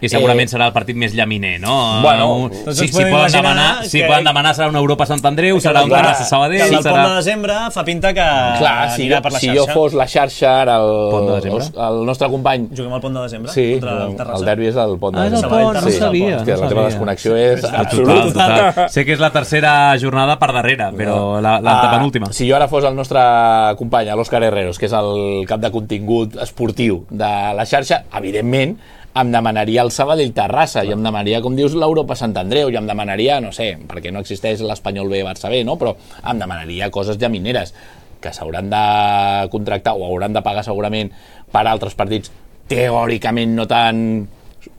I segurament Eh, serà el partit més llaminer, no? Bueno, tots si, ens si, podem poden imaginar demanar, si que- poden demanar serà una Europa Sant Andreu, serà un clar, Terrassa Que Sabadell, el del serà... pont de desembre fa pinta que Clar, si, anirà jo, per la si xarxa. jo fos la xarxa, ara Pont de el, desembre? el, el nostre company... Juguem al pont de desembre Sí, contra el el, Terrassa. el derbi és el pont de Ah, és el desembre. pont, no Sí. sabia. És que no la teva sabia. desconnexió és Total, absoluta. Total, total. Sé que és la tercera jornada per darrere, però la, la Ah, penúltima. si jo ara fos el nostre company, l'Òscar Herreros, que és el cap de contingut esportiu de la xarxa, evidentment em demanaria el Sabadell Terrassa i em demanaria, com dius, l'Europa Sant Andreu i em demanaria, no sé, perquè no existeix l'Espanyol B Barça B, no? Però em demanaria coses llamineres que s'hauran de contractar o hauran de pagar segurament per altres partits teòricament no tan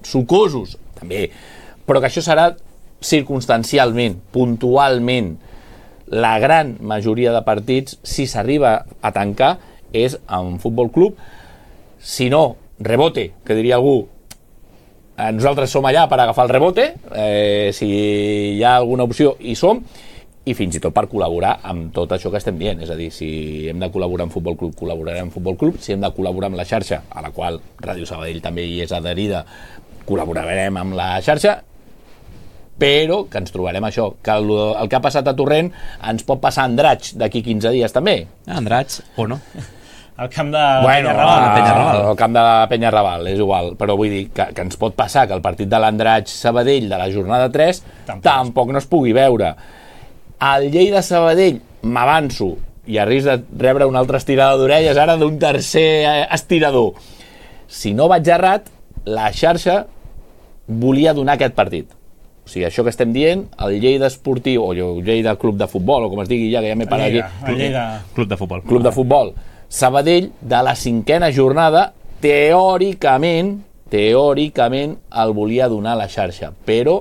sucosos, també, però que això serà circumstancialment, puntualment. La gran majoria de partits, si s'arriba a tancar, és en Futbol Club. Si no, rebote, que diria algú, eh, nosaltres som allà per agafar el rebote, eh, si hi ha alguna opció hi som, i fins i tot per col·laborar amb tot això que estem dient. És a dir, si hem de col·laborar amb Futbol Club, col·laborarem amb Futbol Club. Si hem de col·laborar amb la xarxa, a la qual Ràdio Sabadell també hi és adherida, col·laborarem amb la xarxa, però que ens trobarem això, que el, el que ha passat a Torrent ens pot passar a Andratx d'aquí quinze dies també. Andrats, o no? Al camp de Bueno, Penyarrabal. a Penyarrabal. al camp de Penyarrabal, és igual, però vull dir que, que ens pot passar que el partit de l'Andratx-Sabadell de la jornada tres Tampoc. tampoc no es pugui veure. El Lleida-Sabadell, m'avanço, i a risc de rebre una altra estirada d'orelles ara d'un tercer eh, estirador. Si no vaig errat, la xarxa volia donar aquest partit. O sigui, això que estem dient, el Lleida Esportiu, o el Lleida Club de Futbol, o com es digui ja, que ja m'he parat Lleida, aquí. el Lleida. Club de futbol. Club de Futbol Sabadell, de la cinquena jornada, teòricament, teòricament el volia donar a la xarxa, però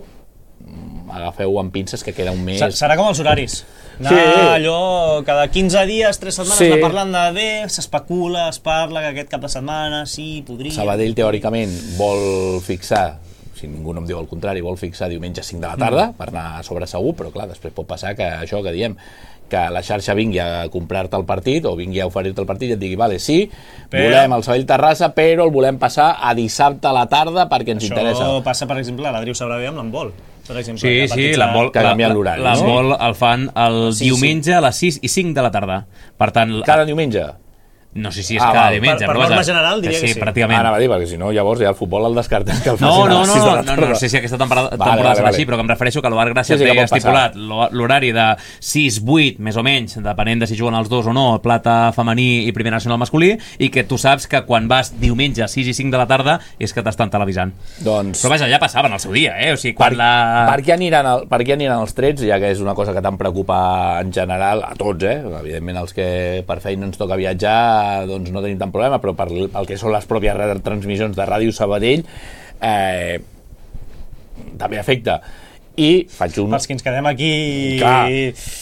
mm, agafeu amb pinces que queda un mes. Serà com els horaris. Anar Sí. allò, cada quinze dies, tres setmanes, Sí. anar parlant de bé, s'especula, es parla que aquest cap de setmana, sí, podria... Sabadell, teòricament, vol fixar, si ningú no em diu el contrari, vol fixar diumenge cinc de la tarda mm. per anar a sobre segur, però clar, després pot passar que això que diem, que la xarxa vingui a comprar-te el partit o vingui a oferir-te el partit i et digui, vale, sí, Però- volem el Sabadell-Terrassa, però el volem passar a dissabte a la tarda perquè ens Això interessa. passa, per exemple, a l'Adriu sabrà bé amb l'handbol. Per exemple, Sí, que sí, partits l'handbol que canvien l'horari, no? l'handbol el fan el Sí, diumenge a les sis i cinc de la tarda. Per tant, Cada diumenge. no sé si és Ah, cada val. diumenge, Per- per però norma vaja, general diria que sí. pràcticament. Anava a dir, perquè si no, llavors ja el futbol el descartem que el facin No, a no, les no, sis de no, la no, tarda. no sé si aquesta temporada, Vale, temporada vale, serà vale. així, però que em refereixo que l'Ovar Gràcia Sí, sí, té que pot passar. estipulat l'ho- l'horari de sis vuit, més o menys, depenent de si juguen els dos o no, plata femení i primer nacional masculí, i que tu saps que quan vas diumenge a sis i cinc de la tarda és que t'estan televisant. Doncs... Però vaja, ja passaven el seu dia, eh? O sigui, Per, quan la... per, què aniran el, per què aniran els trets, ja que és una cosa que tant preocupa en general a tots, eh? Evidentment els que per feina ens toca viatjar doncs no tenim tant problema, però per el que són les pròpies retransmissions de Ràdio Sabadell eh, també afecta. I faig un... Pels que ens quedem aquí... Clar,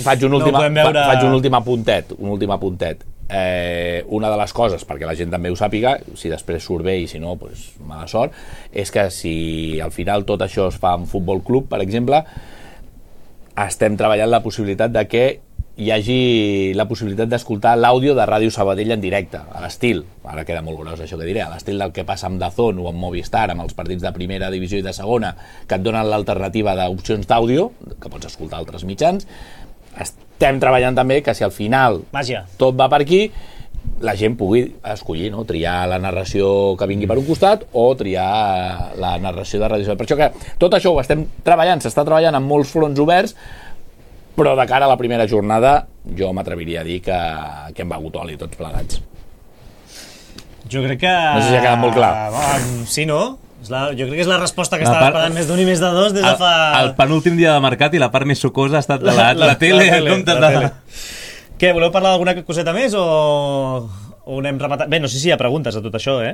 faig un, no últim, podem veure... fa, faig un últim apuntet, un últim apuntet. Eh, una de les coses, perquè la gent també ho sàpiga, si després surt bé i si no, pues, mala sort, és que si al final tot això es fa en futbol club, per exemple, estem treballant la possibilitat de que hi hagi la possibilitat d'escoltar l'àudio de Ràdio Sabadell en directe, a l'estil, ara queda molt gros això que diré, a l'estil del que passa amb DAZN o amb Movistar, amb els partits de primera divisió i de segona, que et donen l'alternativa d'opcions d'àudio, que pots escoltar altres mitjans. Estem treballant també que si al final Màgia. tot va per aquí, la gent pugui escollir, no? Triar la narració que vingui per un costat o triar la narració de Ràdio Sabadell. Per això que tot això ho estem treballant, s'està treballant amb molts fronts oberts, però de cara a la primera jornada jo m'atreviria a dir que, que hem begut oli tots plegats. Jo crec que... No sé si ha quedat molt clar. Um, sí, no? És la, jo crec que és la resposta que La estava part- esperant més d'un i més de dos des de El, fa... el penúltim dia de mercat i la part més sucosa ha estat de la, la, la tele, en comptes la de... tele. Què, voleu parlar d'alguna coseta més o, o anem rematant? Bé, no sé si hi ha preguntes a tot això, eh?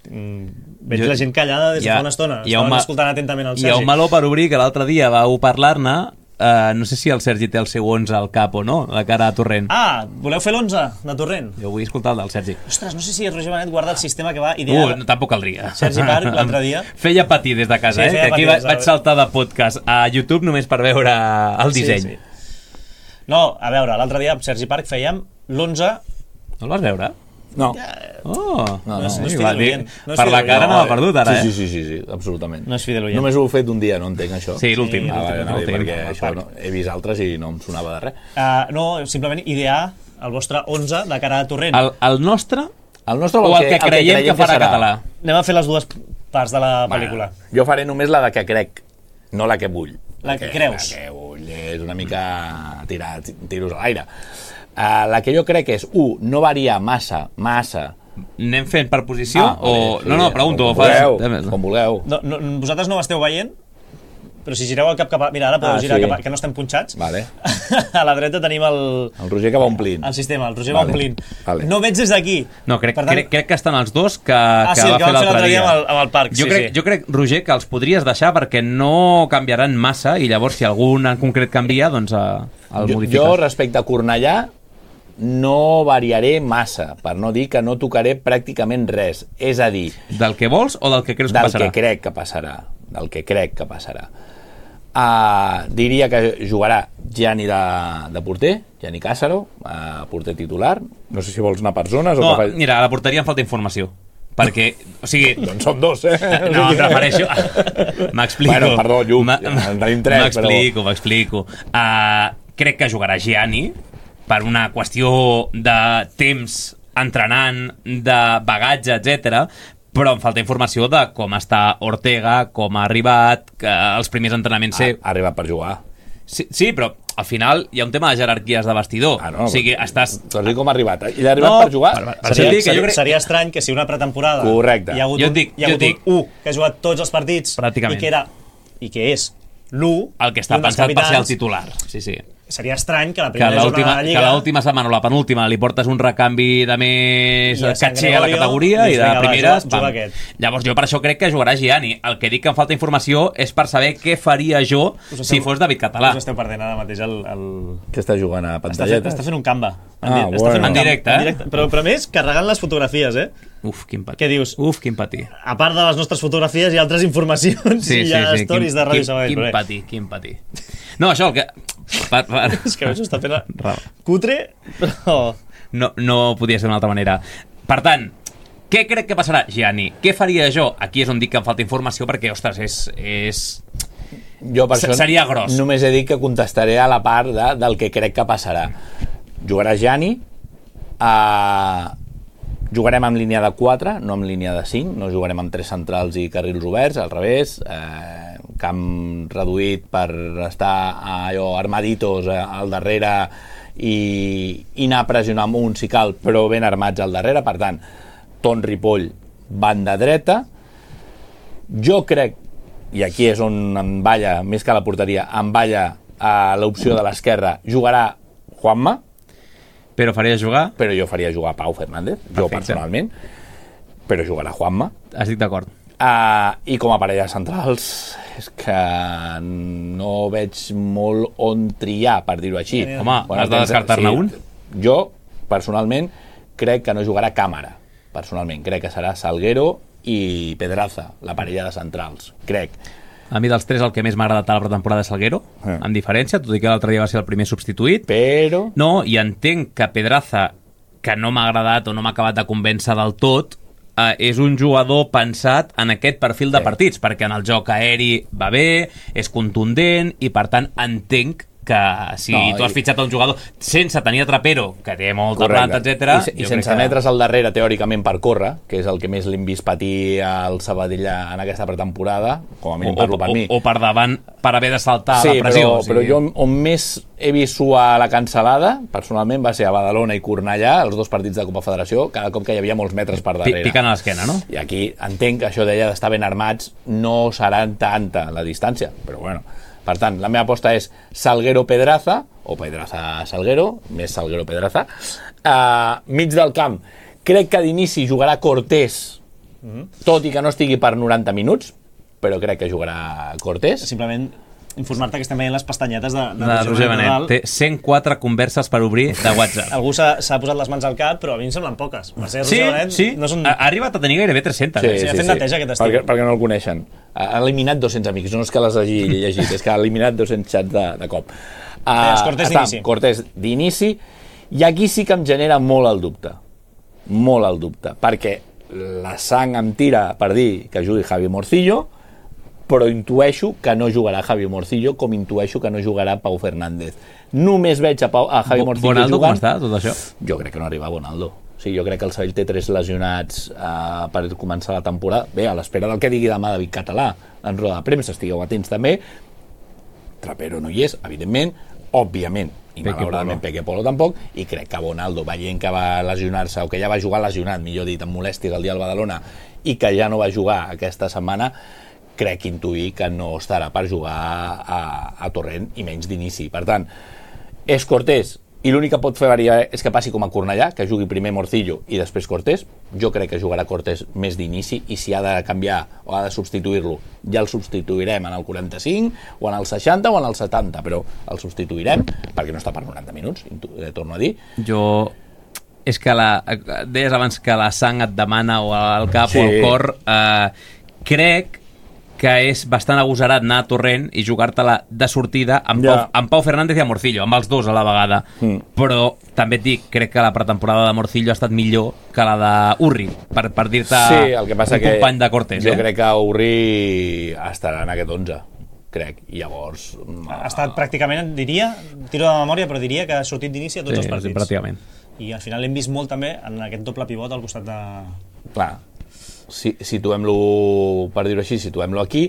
Mm, veig Jo- la gent callada des de hi ha- fa una estona. hi ha un Estaven ma- escoltant atentament el Hi ha Sergi. un meló per obrir que l'altre dia vau parlar-ne. Uh, no sé si el Sergi té el seu onze al cap o no, de cara a Torrent. Ah, voleu fer l'onze de Torrent? Jo vull escoltar el del Sergi. Ostres, no sé si Roger Benet guarda el sistema que va idear... Uh, no, tampoc caldria. Sergi Parc, l'altre dia. Feia patir des de casa, Sí, eh? feia Que aquí patir va, des de- vaig saltar de podcast a YouTube només per veure el disseny. Sí, sí. No, a veure, l'altre dia amb Sergi Parc fèiem l'onze... No el vas veure? No. Oh, No, no, no és sí, fidel va, dir- oient. No és per la fidel cara oient. no l'ha perdut ara, sí, eh? sí, sí, sí, sí, absolutament. No és fidel oient. Només ho he fet un dia, no entenc això. Sí, l'últim. Ah, vale, l'últim, no, l'últim. perquè això no, he vist altres i no em sonava de res. Uh, no, simplement idear el vostre onze de cara a Torrent. El, el nostre El nostre, o el que creiem que farà català? Anem a fer les dues parts de la pel·lícula. Jo faré només la de que crec, no la que vull. La que creus. La que vull és una mica tirar tiros a l'aire. Uh, la que jo crec és, un, no variar massa, massa. Anem fent per posició Ah, o... vale, sí, no, no, pregunto. Com vulgueu, com vulgueu. No, no, vosaltres no m'esteu veient, però si gireu el cap cap a... Mira, ara podeu Ah, girar sí. cap a... que no estem punxats. Vale. A la dreta tenim el, El Roger que va omplint. el sistema, el Roger Vale. va omplint. Vale. No veig des d'aquí. No, crec, Per tant- crec, crec que estan els dos que, Ah, que sí, el va que fer vam fer l'altre dia. amb el, amb el parc. Jo, sí, crec, sí. jo crec, Roger, que els podries deixar perquè no canviaran massa i llavors si algun en concret canvia, doncs eh, el Jo, modifiques. jo, respecte a Cornellà, no variaré massa, per no dir que no tocaré pràcticament res. És a dir, Del que vols o del que creus que del passarà? que crec que passarà. Del que crec que passarà. Uh, diria que jugarà Gianni de, de porter, Gianni Càssaro, uh, porter titular. No sé si vols anar per zones No, o que fa... mira, a la porteria em falta informació. Perquè, o sigui... Doncs som dos, eh? No, em refereixo... M'explico. Bueno, perdó, Lluc, Ma- ja en tenim tres, M'explico, m'explico. Uh, crec que jugarà Gianni per una qüestió de temps entrenant, de bagatge, etcètera, però em falta informació de com està Ortega, com ha arribat, que els primers entrenaments... Ha, Ser... ha arribat per jugar. Sí, sí, però al final hi ha un tema de jerarquies de vestidor. Ah, no, o sigui, estàs... T'has dit com ha arribat. I l'ha arribat No, per jugar? per- per- Seria, dir que jo seria, crec- seria estrany que si una pretemporada Correcte. hi ha hagut, Jo et un, dic, hi ha jo et hagut dic. un u que ha jugat tots els partits Pràcticament. i que era i que és l'u El que està i un dels pensat per ser el capitans, titular. Sí, sí. seria estrany que la Que primera jornada l'última de que Lliga... l'última setmana o la penúltima li portes un recanvi de més I a Sant catxer a la Gregorio, categoria i dius, de vinga, va, primeres... juga- juga pam. aquest. Llavors jo per això crec que jugarà Gianni. El que dic que em falta informació és per saber què faria jo Us esteu- si fos David Català. Us esteu perdent ara mateix el... el... Que està jugant a Està, fent, pantalletes? està fent un canva. Ah, di- bueno. està fent un En canva, directe, eh? en directe. Però, però a més, carregant les fotografies, eh? Uf, quin patí. Què dius? Uf, quin patí. A part de les nostres fotografies hi ha altres informacions Sí, i sí, hi ha sí. stories quin, de Ràdio quin, Sabadell. quin però bé. patí, quin patí. No, això, el que... Per, per... És que a més ho està fent a... Raó. cutre, però... No, no podia ser d'una altra manera. Per tant, què crec que passarà, Gianni? Què faria jo? Aquí és on dic que em falta informació perquè, ostres, és... és... Jo per Se- això seria gros. només he dit que contestaré a la part de, del que crec que passarà. Jugarà Gianni, uh, jugarem amb línia de quatre, no amb línia de cinc, no jugarem amb tres centrals i carrils oberts, al revés, eh, camp reduït per estar allò armaditos eh, al darrere i, i anar a pressionar amb un si cal, però ben armats al darrere. Per tant, Ton Ripoll, banda dreta. Jo crec, i aquí és on em balla, més que a la porteria, em balla a l'opció de l'esquerra, jugarà Juanma, Però faria jugar? però jo faria jugar Pau Fernández, jo Perfecte. personalment, però jugarà Juanma. Estic d'acord. Uh, I com a parella centrals és que no veig molt on triar, per dir-ho així. Home, has de tens- descartar-ne un? Jo, personalment, crec que no jugarà Càmera. Personalment, crec que serà Salguero i Pedraza, la parella de centrals. Crec. A mi dels tres el que més m'ha agradat a la pretemporada és Salguero, Eh. amb diferència, tot i que l'altre dia va ser el primer substituït. Però... No, i entenc que Pedraza, que no m'ha agradat o no m'ha acabat de convèncer del tot, eh, és un jugador pensat en aquest perfil de Sí. partits, perquè en el joc aeri va bé, és contundent, i per tant entenc que si No, tu has i- fitxat un jugador sense tenir a Trapero, que té molta Correcte. planta, etcètera, I, i jo sense crec que- metre's al darrere, teòricament, per córrer, que és el que més l'hem vist patir al Sabadell en aquesta pretemporada, com a o, mínim parlo per o, mi. o per davant per haver de saltar Sí, la pressió. però, o sigui. però jo on més he vist suar la cancel·lada, personalment, va ser a Badalona i Cornellà, els dos partits de Copa Federació, cada cop que hi havia molts metres per Pi- darrere. Picant a l'esquena, no? I aquí entenc que això deia d'estar ben armats, no serà tanta la distància, però bueno. Per tant, la meva aposta és Salguero-Pedraza, o Pedraza-Salguero, més Salguero-Pedraza. Uh, mig del camp, crec que d'inici jugarà Cortés, tot i que no estigui per noranta minuts, però crec que jugarà Cortés. Simplement informar-te que estem veient les pestanyetes de, de, De Roger Benet. Té cent quatre converses per obrir de WhatsApp. Algú s'ha s'ha posat les mans al cap, però a mi em semblen poques. Per ser Sí, Roger Benet, sí. no són... Ha ha arribat a tenir gairebé tres-centes. sí, ha fet neteja aquest estiu. Perquè, perquè no el coneixen. Ha eliminat dos-cents amics, no és que les hagi llegit, és que ha eliminat dos-cents xats de, de cop. Deies Uh, Cortés d'inici. Cortés d'inici, i aquí sí que em genera molt el dubte. Molt el dubte, perquè la sang em tira per dir que jugui Javi Morcillo, però intueixo que no jugarà Javi Morcillo, com intueixo que no jugarà Pau Fernández. Només veig a, Pau, a Javi Morcillo Bonaldo, com jugant... està, tot això? Jo crec que no arriba Bonaldo. Sí, jo crec que el Sabadell té tres lesionats uh, per començar la temporada. Bé, a l'espera del que digui demà David Català en roda de premsa, estigueu atents també. Trapero no hi és, evidentment, òbviament, i Peque malauradament Polo. Peque Polo tampoc, i crec que Bonaldo, veient que va lesionar-se, o que ja va jugar lesionat, millor dit, amb molèsties el dia al Badalona, i que ja no va jugar aquesta setmana, crec intuir que no estarà per jugar a, a Torrent, i menys d'inici. Per tant, és Cortés, i l'únic que pot fer variar és que passi com a Cornellà, que jugui primer Morcillo i després Cortés. Jo crec que jugarà Cortés més d'inici, i si ha de canviar o ha de substituir-lo, ja el substituirem en el quaranta-cinc, o en el seixanta, o en el setanta, però el substituirem, perquè no està per noranta minuts, eh, torno a dir. Jo... És que la... Deies abans que la sang et demana, o el cap Sí. o el cor. Eh, crec que és bastant agosarat anar a Torrent i jugar-te-la de sortida amb, Ja. Pau, amb Pau Fernández i amb Morcillo, amb els dos a la vegada. Mm. Però també et dic, crec que la pretemporada de Morcillo ha estat millor que la d'Urri, per, per dir-te Sí, el que passa un que company de Cortés. jo eh? crec que Urri estarà en aquest onze, crec, i llavors... Ha estat pràcticament, diria, tiro de memòria, però diria que ha sortit d'inici a tots Sí, els partits. pràcticament. I al final l'hem vist molt també en aquest doble pivot al costat de... Clar, si, situem-lo, per dir-ho així, situem-lo aquí.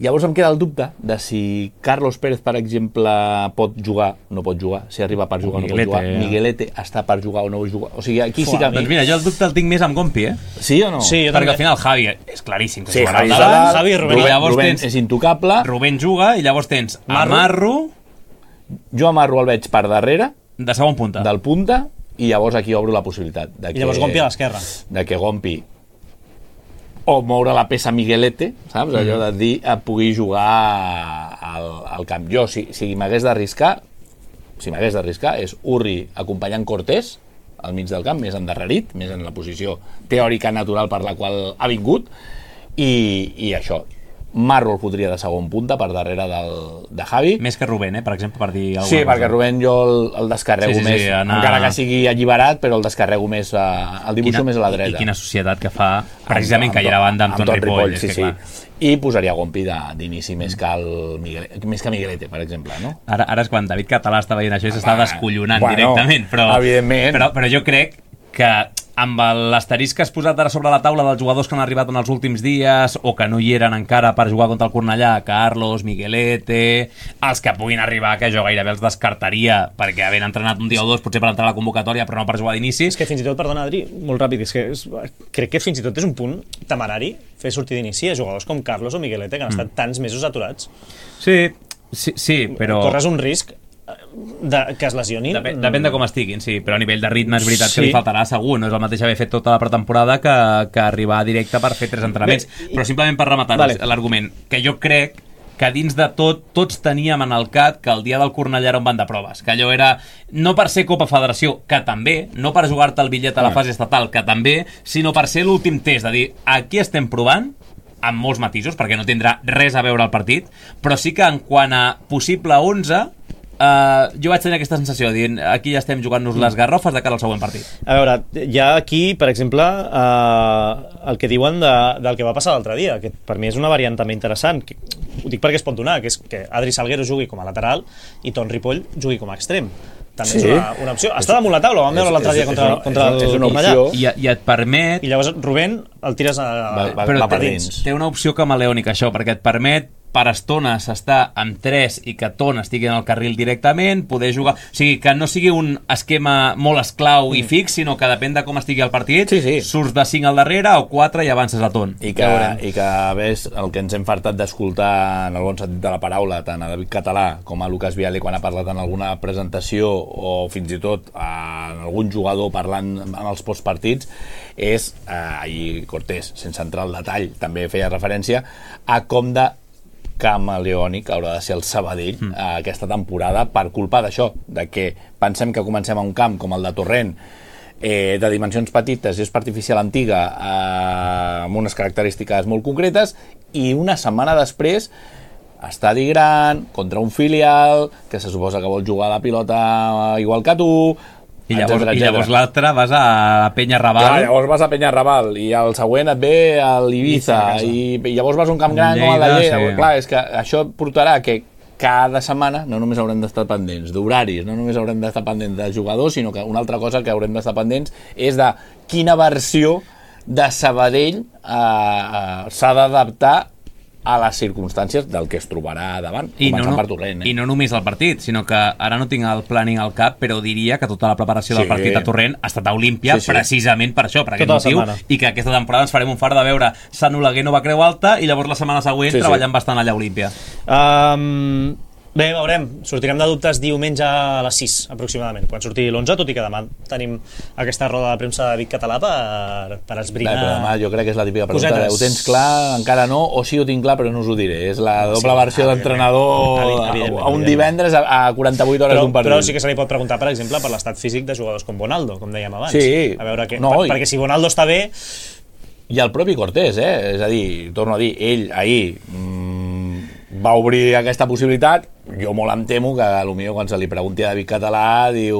Llavors em queda el dubte de si Carlos Pérez, per exemple, pot jugar, no pot jugar, si arriba per jugar o no pot Miguelete, jugar, eh? Miguelete està per jugar o no pot jugar, o sigui, aquí sí Fuà, que... Doncs mira, jo el dubte el tinc més amb Gompi, eh? Sí o no? Sí, jo Perquè també. al final Javi és claríssim que Sí, jugarà Javi, al davant. Javi, Javi i Rubén. I llavors Rubén tens és intocable, Rubén juga i llavors tens Marro. Marro Jo amarro el veig per darrere, De segon punta. del punta, i llavors aquí obro la possibilitat de que, I llavors Gompi a l'esquerra. de que Gompi o moure la peça Miguelete, saps? Allò de dir, eh, pugui jugar al, al camp. Jo, si, si m'hagués d'arriscar, si m'hagués d'arriscar, és Urri acompanyant Cortés al mig del camp, més endarrerit, més en la posició teòrica natural per la qual ha vingut, i, i això. Marro el fotria de segon punta per darrere del, de Javi. Més que Rubén, eh, per exemple, per dir alguna Sí, cosa. perquè Rubén jo el, el descarrego Sí, sí, sí, més, anar- encara que sigui alliberat, però el descarrego més, a, el dibuixo més a la dreta. I quina societat que fa, precisament, que hi era banda amb, amb Ton Ripoll. sí, és que, sí. clar, I posaria Gompi de- d'inici més que el Miguel, més que Miguelete, per exemple, no? Ara, ara és quan David Català està veient això i s'està Home, descollonant bueno, directament, però, evidentment. però, però jo crec que amb l'asterisc que has posat ara sobre la taula dels jugadors que han arribat en els últims dies o que no hi eren encara per jugar contra el Cornellà, Carlos, Miguelete, els que puguin arribar, que jo gairebé els descartaria perquè havent entrenat un dia o dos potser per entrar a la convocatòria però no per jugar d'inici. És que fins i tot, perdona Adri, molt ràpid, és que és, crec que fins i tot és un punt temerari fer sortir d'inici a jugadors com Carlos o Miguelete que han estat tants mesos aturats. Sí, sí, sí però... Corres un risc de, que es lesionin. Depèn, depèn de com estiguin, sí, però a nivell de ritme és veritat Sí. que li faltarà segur, no és el mateix haver fet tota la pretemporada que, que arribar directe per fer tres entrenaments. Bé, i- Però simplement per rematar Vale. l'argument, que jo crec que dins de tot, tots teníem en el cap que el dia del Cornellà era un banc de proves, que allò era, no per ser Copa Federació, que també, no per jugar-te el bitllet a la fase estatal, que també, sinó per ser l'últim test, de dir, aquí estem provant, amb molts matisos, perquè no tindrà res a veure el partit, però sí que en quant a possible onze, Uh, jo vaig tenir aquesta sensació dient aquí ja estem jugant-nos les garrofes de cara al següent partit. A veure, hi ha aquí, per exemple, eh, el que diuen de, del que va passar l'altre dia, que per mi és una variant també interessant, que, ho dic perquè es pot donar, que és que Adri Salguero jugui com a lateral i Ton Ripoll jugui com a extrem. També Sí. és una, una opció. Està damunt la taula, ho vam veure És- l'altre dia és- contra, és una- contra és el una Cornellà. opció. I, i et permet... I llavors Rubén el tires a, Va- va- però va per té, dins. té una opció camaleònica això, perquè et permet per estones estar amb tres i que Ton estigui en el carril directament, poder jugar... O sigui, que no sigui un esquema molt esclau i fix, sinó que depèn de com estigui el partit, Sí, sí. surts de cinc al darrere o quatre i avances a Ton. I que, i que ves el que ens hem fartat d'escoltar en el bon sentit de la paraula, tant a David Català com a Lucas Viale quan ha parlat en alguna presentació o fins i tot en algun jugador parlant en els postpartits, és, eh, i Cortés, sense entrar al detall, també feia referència a com de camaleònic haurà de ser el Sabadell mm. eh, aquesta temporada per culpa d'això, de que pensem que comencem a un camp com el de Torrent, eh, de dimensions petites, gespa artificial antiga, eh, amb unes característiques molt concretes, i una setmana després estadi gran, contra un filial que se suposa que vol jugar a la pilota igual que tu, I llavors, etcètera, i llavors etcètera. l'altre vas a Penya Raval. Clar, llavors vas a Penyarrabal i el següent et ve a l'Ibiza i, i llavors vas a un camp gran com el de Lleida, Lleida. sí. Clar, és que això portarà que cada setmana no només haurem d'estar pendents d'horaris, no només haurem d'estar pendents de jugadors, sinó que una altra cosa que haurem d'estar pendents és de quina versió de Sabadell eh, eh, s'ha d'adaptar a les circumstàncies del que es trobarà davant, I no, començant no, per Torrent. Eh? I no només el partit, sinó que ara no tinc el planning al cap, però diria que tota la preparació Sí. del partit a Torrent ha estat a Olímpia Sí, sí. precisament per això, per aquest Tota la motiu, setmana. i que aquesta temporada ens farem un fart de veure Sant Oleguer Nova Creu Alta i llavors la setmana següent Sí, sí. treballant bastant allà a Olímpia. Um, bé, veurem. Sortirem de dubtes diumenge a les sis, aproximadament, quan surti l'onze, tot i que demà tenim aquesta roda de premsa de Vic Català per, per Bé, esbrinar... però demà jo crec que és la típica pregunta de, cosetes. ho tens clar? Encara no? O sí ho tinc clar però no us ho diré? És la doble Sí, versió evidentment. d'entrenador Evidentment, a, evidentment, a un evidentment. divendres a, a quaranta-vuit hores però, d'un partit. però sí que se li pot preguntar, per exemple, per l'estat físic de jugadors com Bonaldo, com dèiem abans. Sí. A veure què, No, per, i- perquè si Bonaldo està bé, I el propi Cortés, eh? És a dir, torno a dir, ell ahir mm, va obrir aquesta possibilitat. Jo molt em temo que potser quan se li pregunti a David Català diu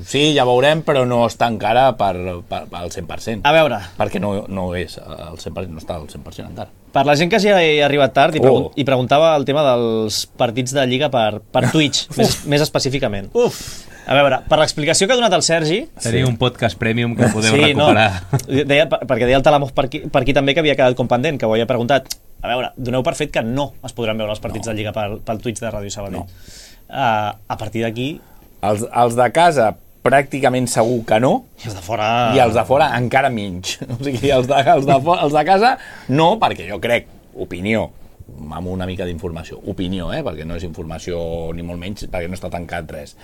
sí, ja veurem, però no està encara per, per, per al cent per cent. a veure, Perquè no, no és al cent per cent, no està al cent per cent encara. per la gent que ja ha arribat tard i, pregun Oh. i preguntava el tema dels partits de Lliga per, per Twitch, més, més específicament. Uf. A veure, per l'explicació que ha donat el Sergi... Teniu un podcast premium que podeu sí, recuperar. No, deia, per- perquè deia el Talamós per aquí, per aquí també que havia quedat com pendent, que ho havia preguntat. A veure, doneu per fet que no es podran veure els partits no. de Lliga pel, pel Twitch de Ràdio Sabadell. No. Uh, a partir d'aquí, Els, els de casa pràcticament segur que no, i els de fora... i els de fora encara menys. O sigui, els de, els de, fo- els de casa no, perquè jo crec, opinió, amb una mica d'informació, opinió, eh? Perquè no és informació ni molt menys, perquè no està tancat res.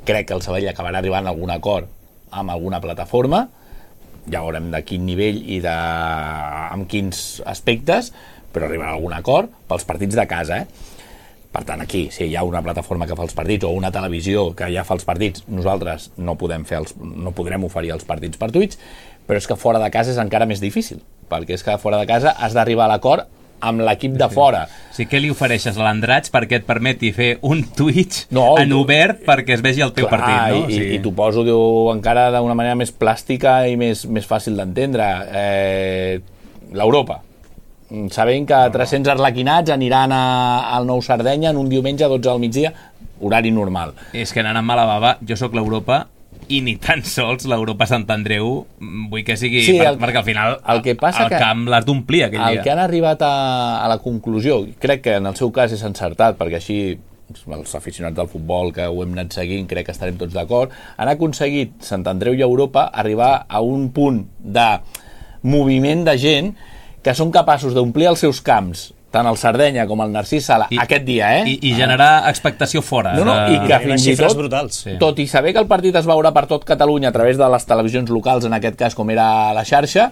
Crec que el Sabadell acabarà arribant a algun acord amb alguna plataforma, ja veurem de quin nivell i de... amb quins aspectes, però arribarà a algun acord pels partits de casa, eh? Per tant, aquí, si hi ha una plataforma que fa els partits o una televisió que ja fa els partits, nosaltres no podem fer els, no podrem oferir els partits per Twitch, però és que fora de casa és encara més difícil, perquè és que fora de casa has d'arribar a l'acord amb l'equip de fora. O sigui, què li ofereixes a l'Andratx perquè et permeti fer un Twitch no, en obert perquè es vegi el teu clar, partit, no? I, O sigui... i t'ho poso diu, encara d'una manera més plàstica i més, més fàcil d'entendre. Eh, L'Europa. Sabem que tres-cents arlequinats aniran a, al Nou Sardenya en un diumenge a dotze del migdia, horari normal. És que anant amb mala bava, jo sóc l'Europa i ni tan sols l'Europa Sant Andreu vull que sigui, sí, per, el, perquè al final el, que passa el que camp l'has d'omplir aquell el dia. El que han arribat a, a la conclusió, crec que en el seu cas és encertat, perquè així els aficionats del futbol que ho hem anat seguint, crec que estarem tots d'acord, han aconseguit Sant Andreu i Europa arribar a un punt de moviment de gent que són capaços d'omplir els seus camps, tant el Sardenya com el Narcís Sala, I, aquest dia, eh? I, i generar expectació fora. No, no, de... i que fins i tot, brutals. Sí. Tot i saber que el partit es veurà per tot Catalunya a través de les televisions locals, en aquest cas com era la xarxa,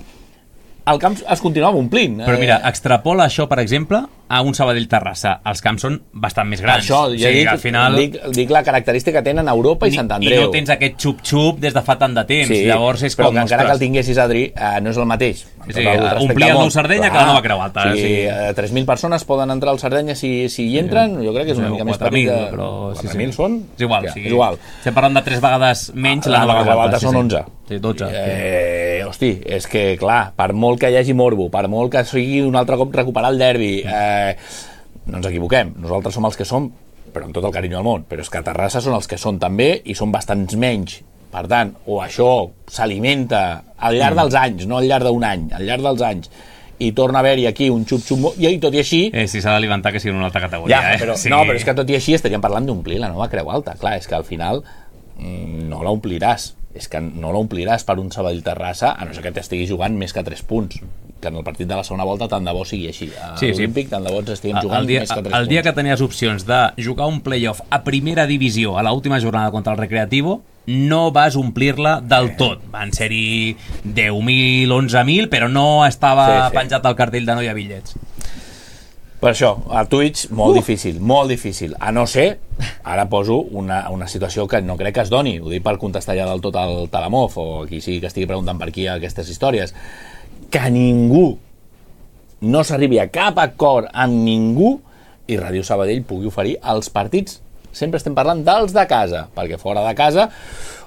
el camp es continuava omplint. Però mira, extrapola això, per exemple, a un Sabadell-Terrassa. Els camps són bastant més grans. Això, ja o sigui, dic, al final... dic, dic la característica que tenen Europa i Sant Andreu. I no tens aquest xup-xup des de fa tant de temps. Sí, llavors és però com... que encara que el tinguessis, Adri, eh, no és el mateix. Sí, omplir el Nou Sardenya que la nova Creu Alta. Sí, sí. eh, tres mil persones poden entrar al Sardenya si, si hi entren, jo crec que és una mica més petit. Però... quatre mil són? És igual, Ja, sí. és igual. Estem parlant de tres vegades menys La la nova Creu Alta sí, són sí. onze. Sí, dotze. Eh, hosti, és que, clar, per molt que hi hagi morbo, per molt que sigui un altre cop recuperar el derbi, eh, no ens equivoquem, nosaltres som els que som, però amb tot el carinyo del món, però és que a Terrassa són els que són també i són bastants menys. Per tant, o això s'alimenta al llarg dels anys, no al llarg d'un any, al llarg dels anys, i torna a haver-hi aquí un xup-xup, i tot i així... Eh, si s'ha d'alimentar que sigui una altra categoria, ja, eh? però, sí. No, però és que tot i així estaríem parlant d'omplir la nova Creu Alta. Clar, és que al final mmm, no l'ompliràs. És que no l'ompliràs per un Sabadell-Terrassa, a no ser que t'estigui jugant més que tres punts. Que en el partit de la segona volta tant de bo sigui així. A sí, l'Olímpic sí. tant de bo ens estiguem jugant el dia, més que tres el punts. dia que tenies opcions de jugar un playoff a primera divisió a l'última jornada contra el Recreativo, no vas omplir-la del tot. Van ser-hi deu mil, onze mil, però no estava Sí, sí. penjat al cartell de no hi ha bitllets. Per això, a Twitch, molt uh. difícil, molt difícil. A no ser, ara poso una, una situació que no crec que es doni, ho dic per contestar ja del tot al Talamov, o qui sigui que estigui preguntant per aquí aquestes històries, que ningú no s'arribi a cap acord amb ningú i Ràdio Sabadell pugui oferir els partits. Sempre estem parlant dels de casa, perquè fora de casa,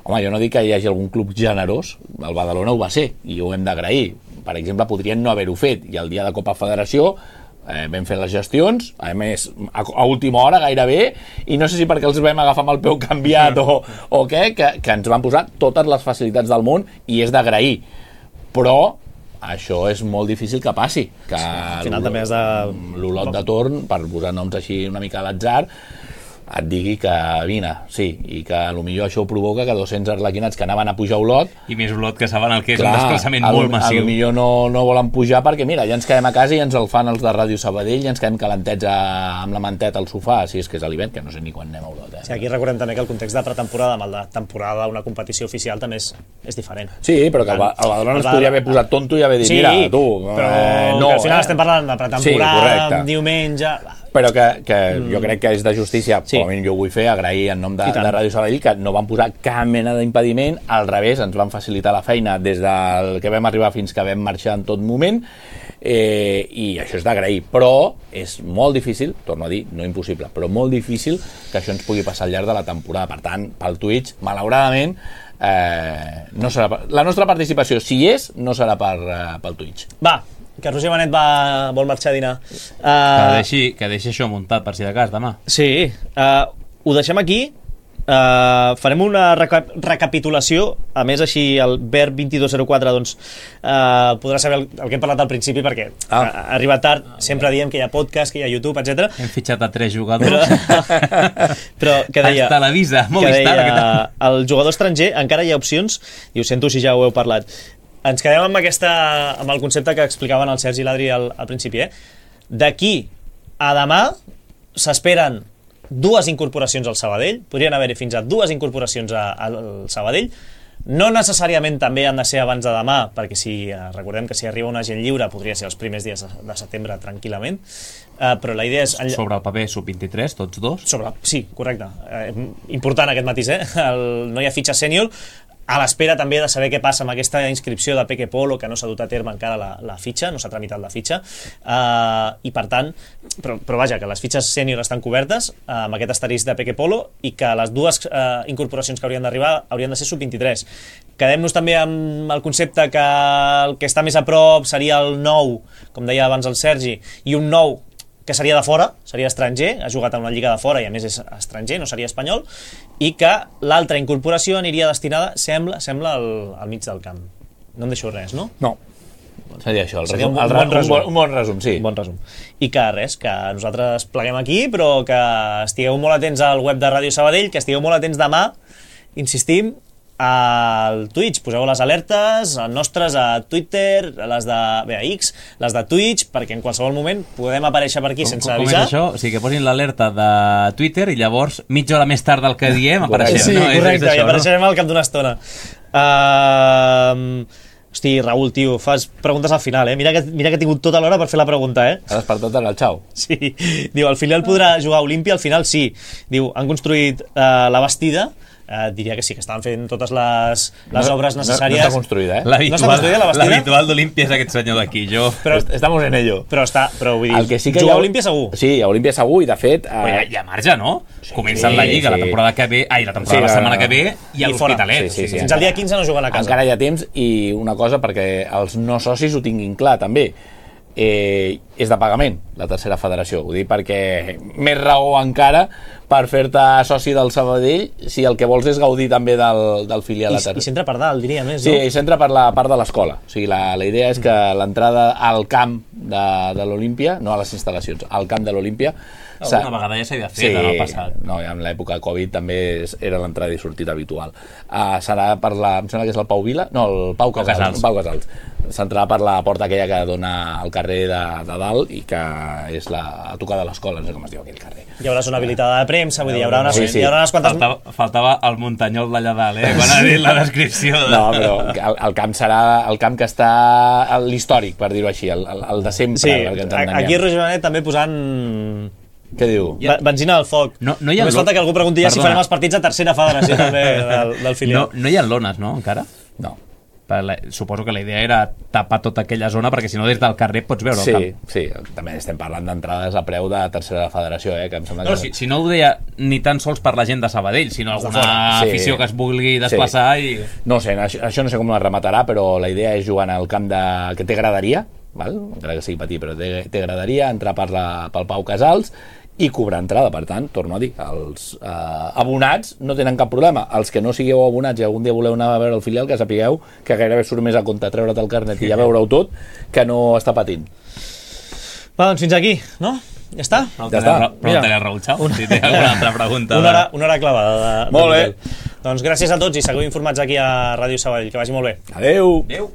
home, jo no dic que hi hagi algun club generós, el Badalona ho va ser, i ho hem d'agrair. Per exemple, podrien no haver-ho fet, i el dia de Copa Federació eh, vam fer les gestions, a més, a, a última hora gairebé, i no sé si perquè els vam agafar amb el peu canviat o, o què, que, que ens van posar totes les facilitats del món, i és d'agrair. Però això és molt difícil que passi, que sí, al final també has de... l'Olot de Torn, per posar noms així una mica a l'atzar, et digui que vine, sí, i que potser això ho provoca que dos-cents arlequinats que anaven a pujar a Olot, I més Olot que saben el que és clar, un desplaçament a, molt massiu. potser no, no volen pujar perquè mira, ja ens quedem a casa i ens el fan els de Ràdio Sabadell i ens quedem calentets a, amb la manteta al sofà, si és que és a l'hivern, que no sé ni quan anem a Olot. Eh? Sí, aquí recordem també que el context de pretemporada amb el de temporada, una competició oficial, també és, és diferent. Sí, però que el, Ba- el Badalona ens podria haver posat tonto i haver dit, Sí, mira, tu, però eh, no, no, al final eh? estem parlant de pretemporada, Sí, correcte. diumenge... Però que, que mm. jo crec que és de justícia, Sí. com a mínim jo ho vull fer, agrair en nom de, I tant. de Ràdio Sabadell que no van posar cap mena d'impediment, al revés, ens van facilitar la feina des del que vam arribar fins que vam marxar en tot moment, eh, i això és d'agrair, però és molt difícil, torno a dir, no impossible, però molt difícil que això ens pugui passar al llarg de la temporada. Per tant, pel Twitch, malauradament, eh, no serà per... la nostra participació, si hi és, no serà per, eh, pel Twitch. Va, que Roger Benet va, vol marxar a dinar. Uh, Que deixi, que deixi això muntat per si de cas demà. Sí, uh, ho deixem aquí. Uh, farem una reca recapitulació, a més així el Ver vint-i-dos zero quatre doncs, uh, podrà saber el, el que hem parlat al principi perquè Ah. ha arribat tard, sempre diem que hi ha podcast, que hi ha YouTube, etcètera. Hem fitxat a tres jugadors. Però que deia, Es Televisa, que Movistar. deia el jugador estranger encara hi ha opcions, i ho sento si ja ho heu parlat. Ens quedem amb, aquesta, amb el concepte que explicaven el Sergi i l'Adri al, al principi, eh? D'aquí a demà s'esperen dues incorporacions al Sabadell, podrien haver-hi fins a dues incorporacions a, al Sabadell, no necessàriament també han de ser abans de demà, perquè si eh, recordem que si arriba un agent lliure podria ser els primers dies de, de setembre tranquil·lament, eh, però la idea és... Sobre el paper sub vint-i-tres, tots dos? Sobre, sí, correcte. Eh, important aquest matís, eh? El, no hi ha fitxa sènior, a l'espera també de saber què passa amb aquesta inscripció de Peque Polo, que no s'ha dut a terme encara la, la fitxa, no s'ha tramitat la fitxa, uh, i per tant, però, però vaja, que les fitxes sènior estan cobertes uh, amb aquest asterisc de Peque Polo i que les dues uh, incorporacions que haurien d'arribar haurien de ser sub vint-i-tres. Quedem-nos també amb el concepte que el que està més a prop seria el nou, com deia abans el Sergi, i un nou que seria de fora, seria estranger, ha jugat en una lliga de fora i a més és estranger, no seria espanyol, i que l'altra incorporació aniria destinada, sembla, sembla al, al mig del camp. No em deixo res, no? No. Seria això, el Seria resum, un, el, un, bon un, resum. bon, un bon resum, sí. Un bon resum. I que res, que nosaltres pleguem aquí, però que estigueu molt atents al web de Ràdio Sabadell, que estigueu molt atents demà, insistim, al Twitch, poseu les alertes nostres a Twitter, les de bé, a X, les de Twitch, perquè en qualsevol moment podem aparèixer per aquí com, sense com avisar. Com és això? O sigui, que posin l'alerta de Twitter i llavors mitja hora més tard del que diem apareixem. Sí, no? correcte, és, és això, i apareixerem no? al cap d'una estona. Uh, hosti, Raül, tio, fas preguntes al final, eh? Mira que, mira que he tingut tota l'hora per fer la pregunta, eh? Ha despertat en el xau. Sí, diu, el filial podrà jugar a Olímpia? Al final sí. Diu, han construït uh, la bastida. Uh, diria que sí, que estaven fent totes les, les no, obres necessàries. No, no està construïda, eh? No està construïda la bastida? L'habitual d'Olímpia és aquest senyor d'aquí, jo... Però, Estamos en ello. però està, però vull dir, El que sí que jugar hi ha... a Olímpia segur. Sí, a Olímpia segur, i de fet... Però hi ha, Eh... hi ha marge, no? Sí, Comencen la Lliga sí. la temporada que ve... Ai, la temporada Sí, la setmana no, que ve i a I fora. l'Hospitalet. Sí, sí, sí. Fins al dia quinze no juguen a casa. Encara hi ha temps, i una cosa perquè els no socis ho tinguin clar, també. Eh, és de pagament, la tercera federació. Ho dic perquè més raó encara per fer-te soci del Sabadell si el que vols és gaudir també del, del filial. I, i s'entra per dalt, diria més, Sí, no? i s'entra per la part de l'escola. O sigui, la, la idea és que l'entrada al camp de, de l'Olímpia, no a les instal·lacions, al camp de l'Olímpia... Alguna vegada ja s'havia fet, sí, en el passat. No, en l'època de Covid també és, era l'entrada i sortida habitual. Uh, serà per la... Em sembla que és el Pau Vila? No, el Pau Casals. Casals. Pau Casals. S'entrarà per la porta aquella que dona al carrer de, de dalt i que és la, a tocar de l'escola, no sé com es diu aquell carrer. Hi haurà zona habilitada de premsa, vull dir, hi haurà unes, Sí, sí. hi haurà unes quantes... Faltava, faltava el muntanyol d'allà dalt, eh? Quan ha dit la descripció. De... No, però el, el camp serà el camp que està a l'històric, per dir-ho així, el, el, el de sempre. Sí, perquè ens entenguem. aquí Roger Benet també posant... Què diu? Ba- benzina al foc. No- no hi ha Només lo- falta que algú pregunti ja si Perdona. farem els partits a tercera federació també del, del No, filial. no hi ha lones, no, encara? No. Per la, suposo que la idea era tapar tota aquella zona perquè si no des del carrer pots veure Sí, el camp. sí, també estem parlant d'entrades a preu de tercera federació, eh, que em sembla No, que... si, si no ho deia ni tan sols per la gent de Sabadell, sinó alguna Sí. afició que es vulgui desplaçar i... No sé, això, això no sé com la rematarà, però la idea és jugar en el camp de... que té graderia, val? Encara que sigui petit, però té, té graderia, entrar per la, pel Pau Casals i cobrar entrada. Per tant, torno a dir, els eh, abonats no tenen cap problema. Els que no sigueu abonats i algun dia voleu anar a veure el filial, que sapigueu que gairebé surt més a compte treure't el carnet i ja veure-ho tot que no està patint. Va, doncs fins aquí, no? Ja està? Ja està. Pregunta-li al Raül Chau, si té alguna altra pregunta. Una hora, una hora clavada. De, Molt de bé. Miguel. Doncs gràcies a tots i seguiu informats aquí a Ràdio Sabadell. Que vagi molt bé. Adeu! Adéu.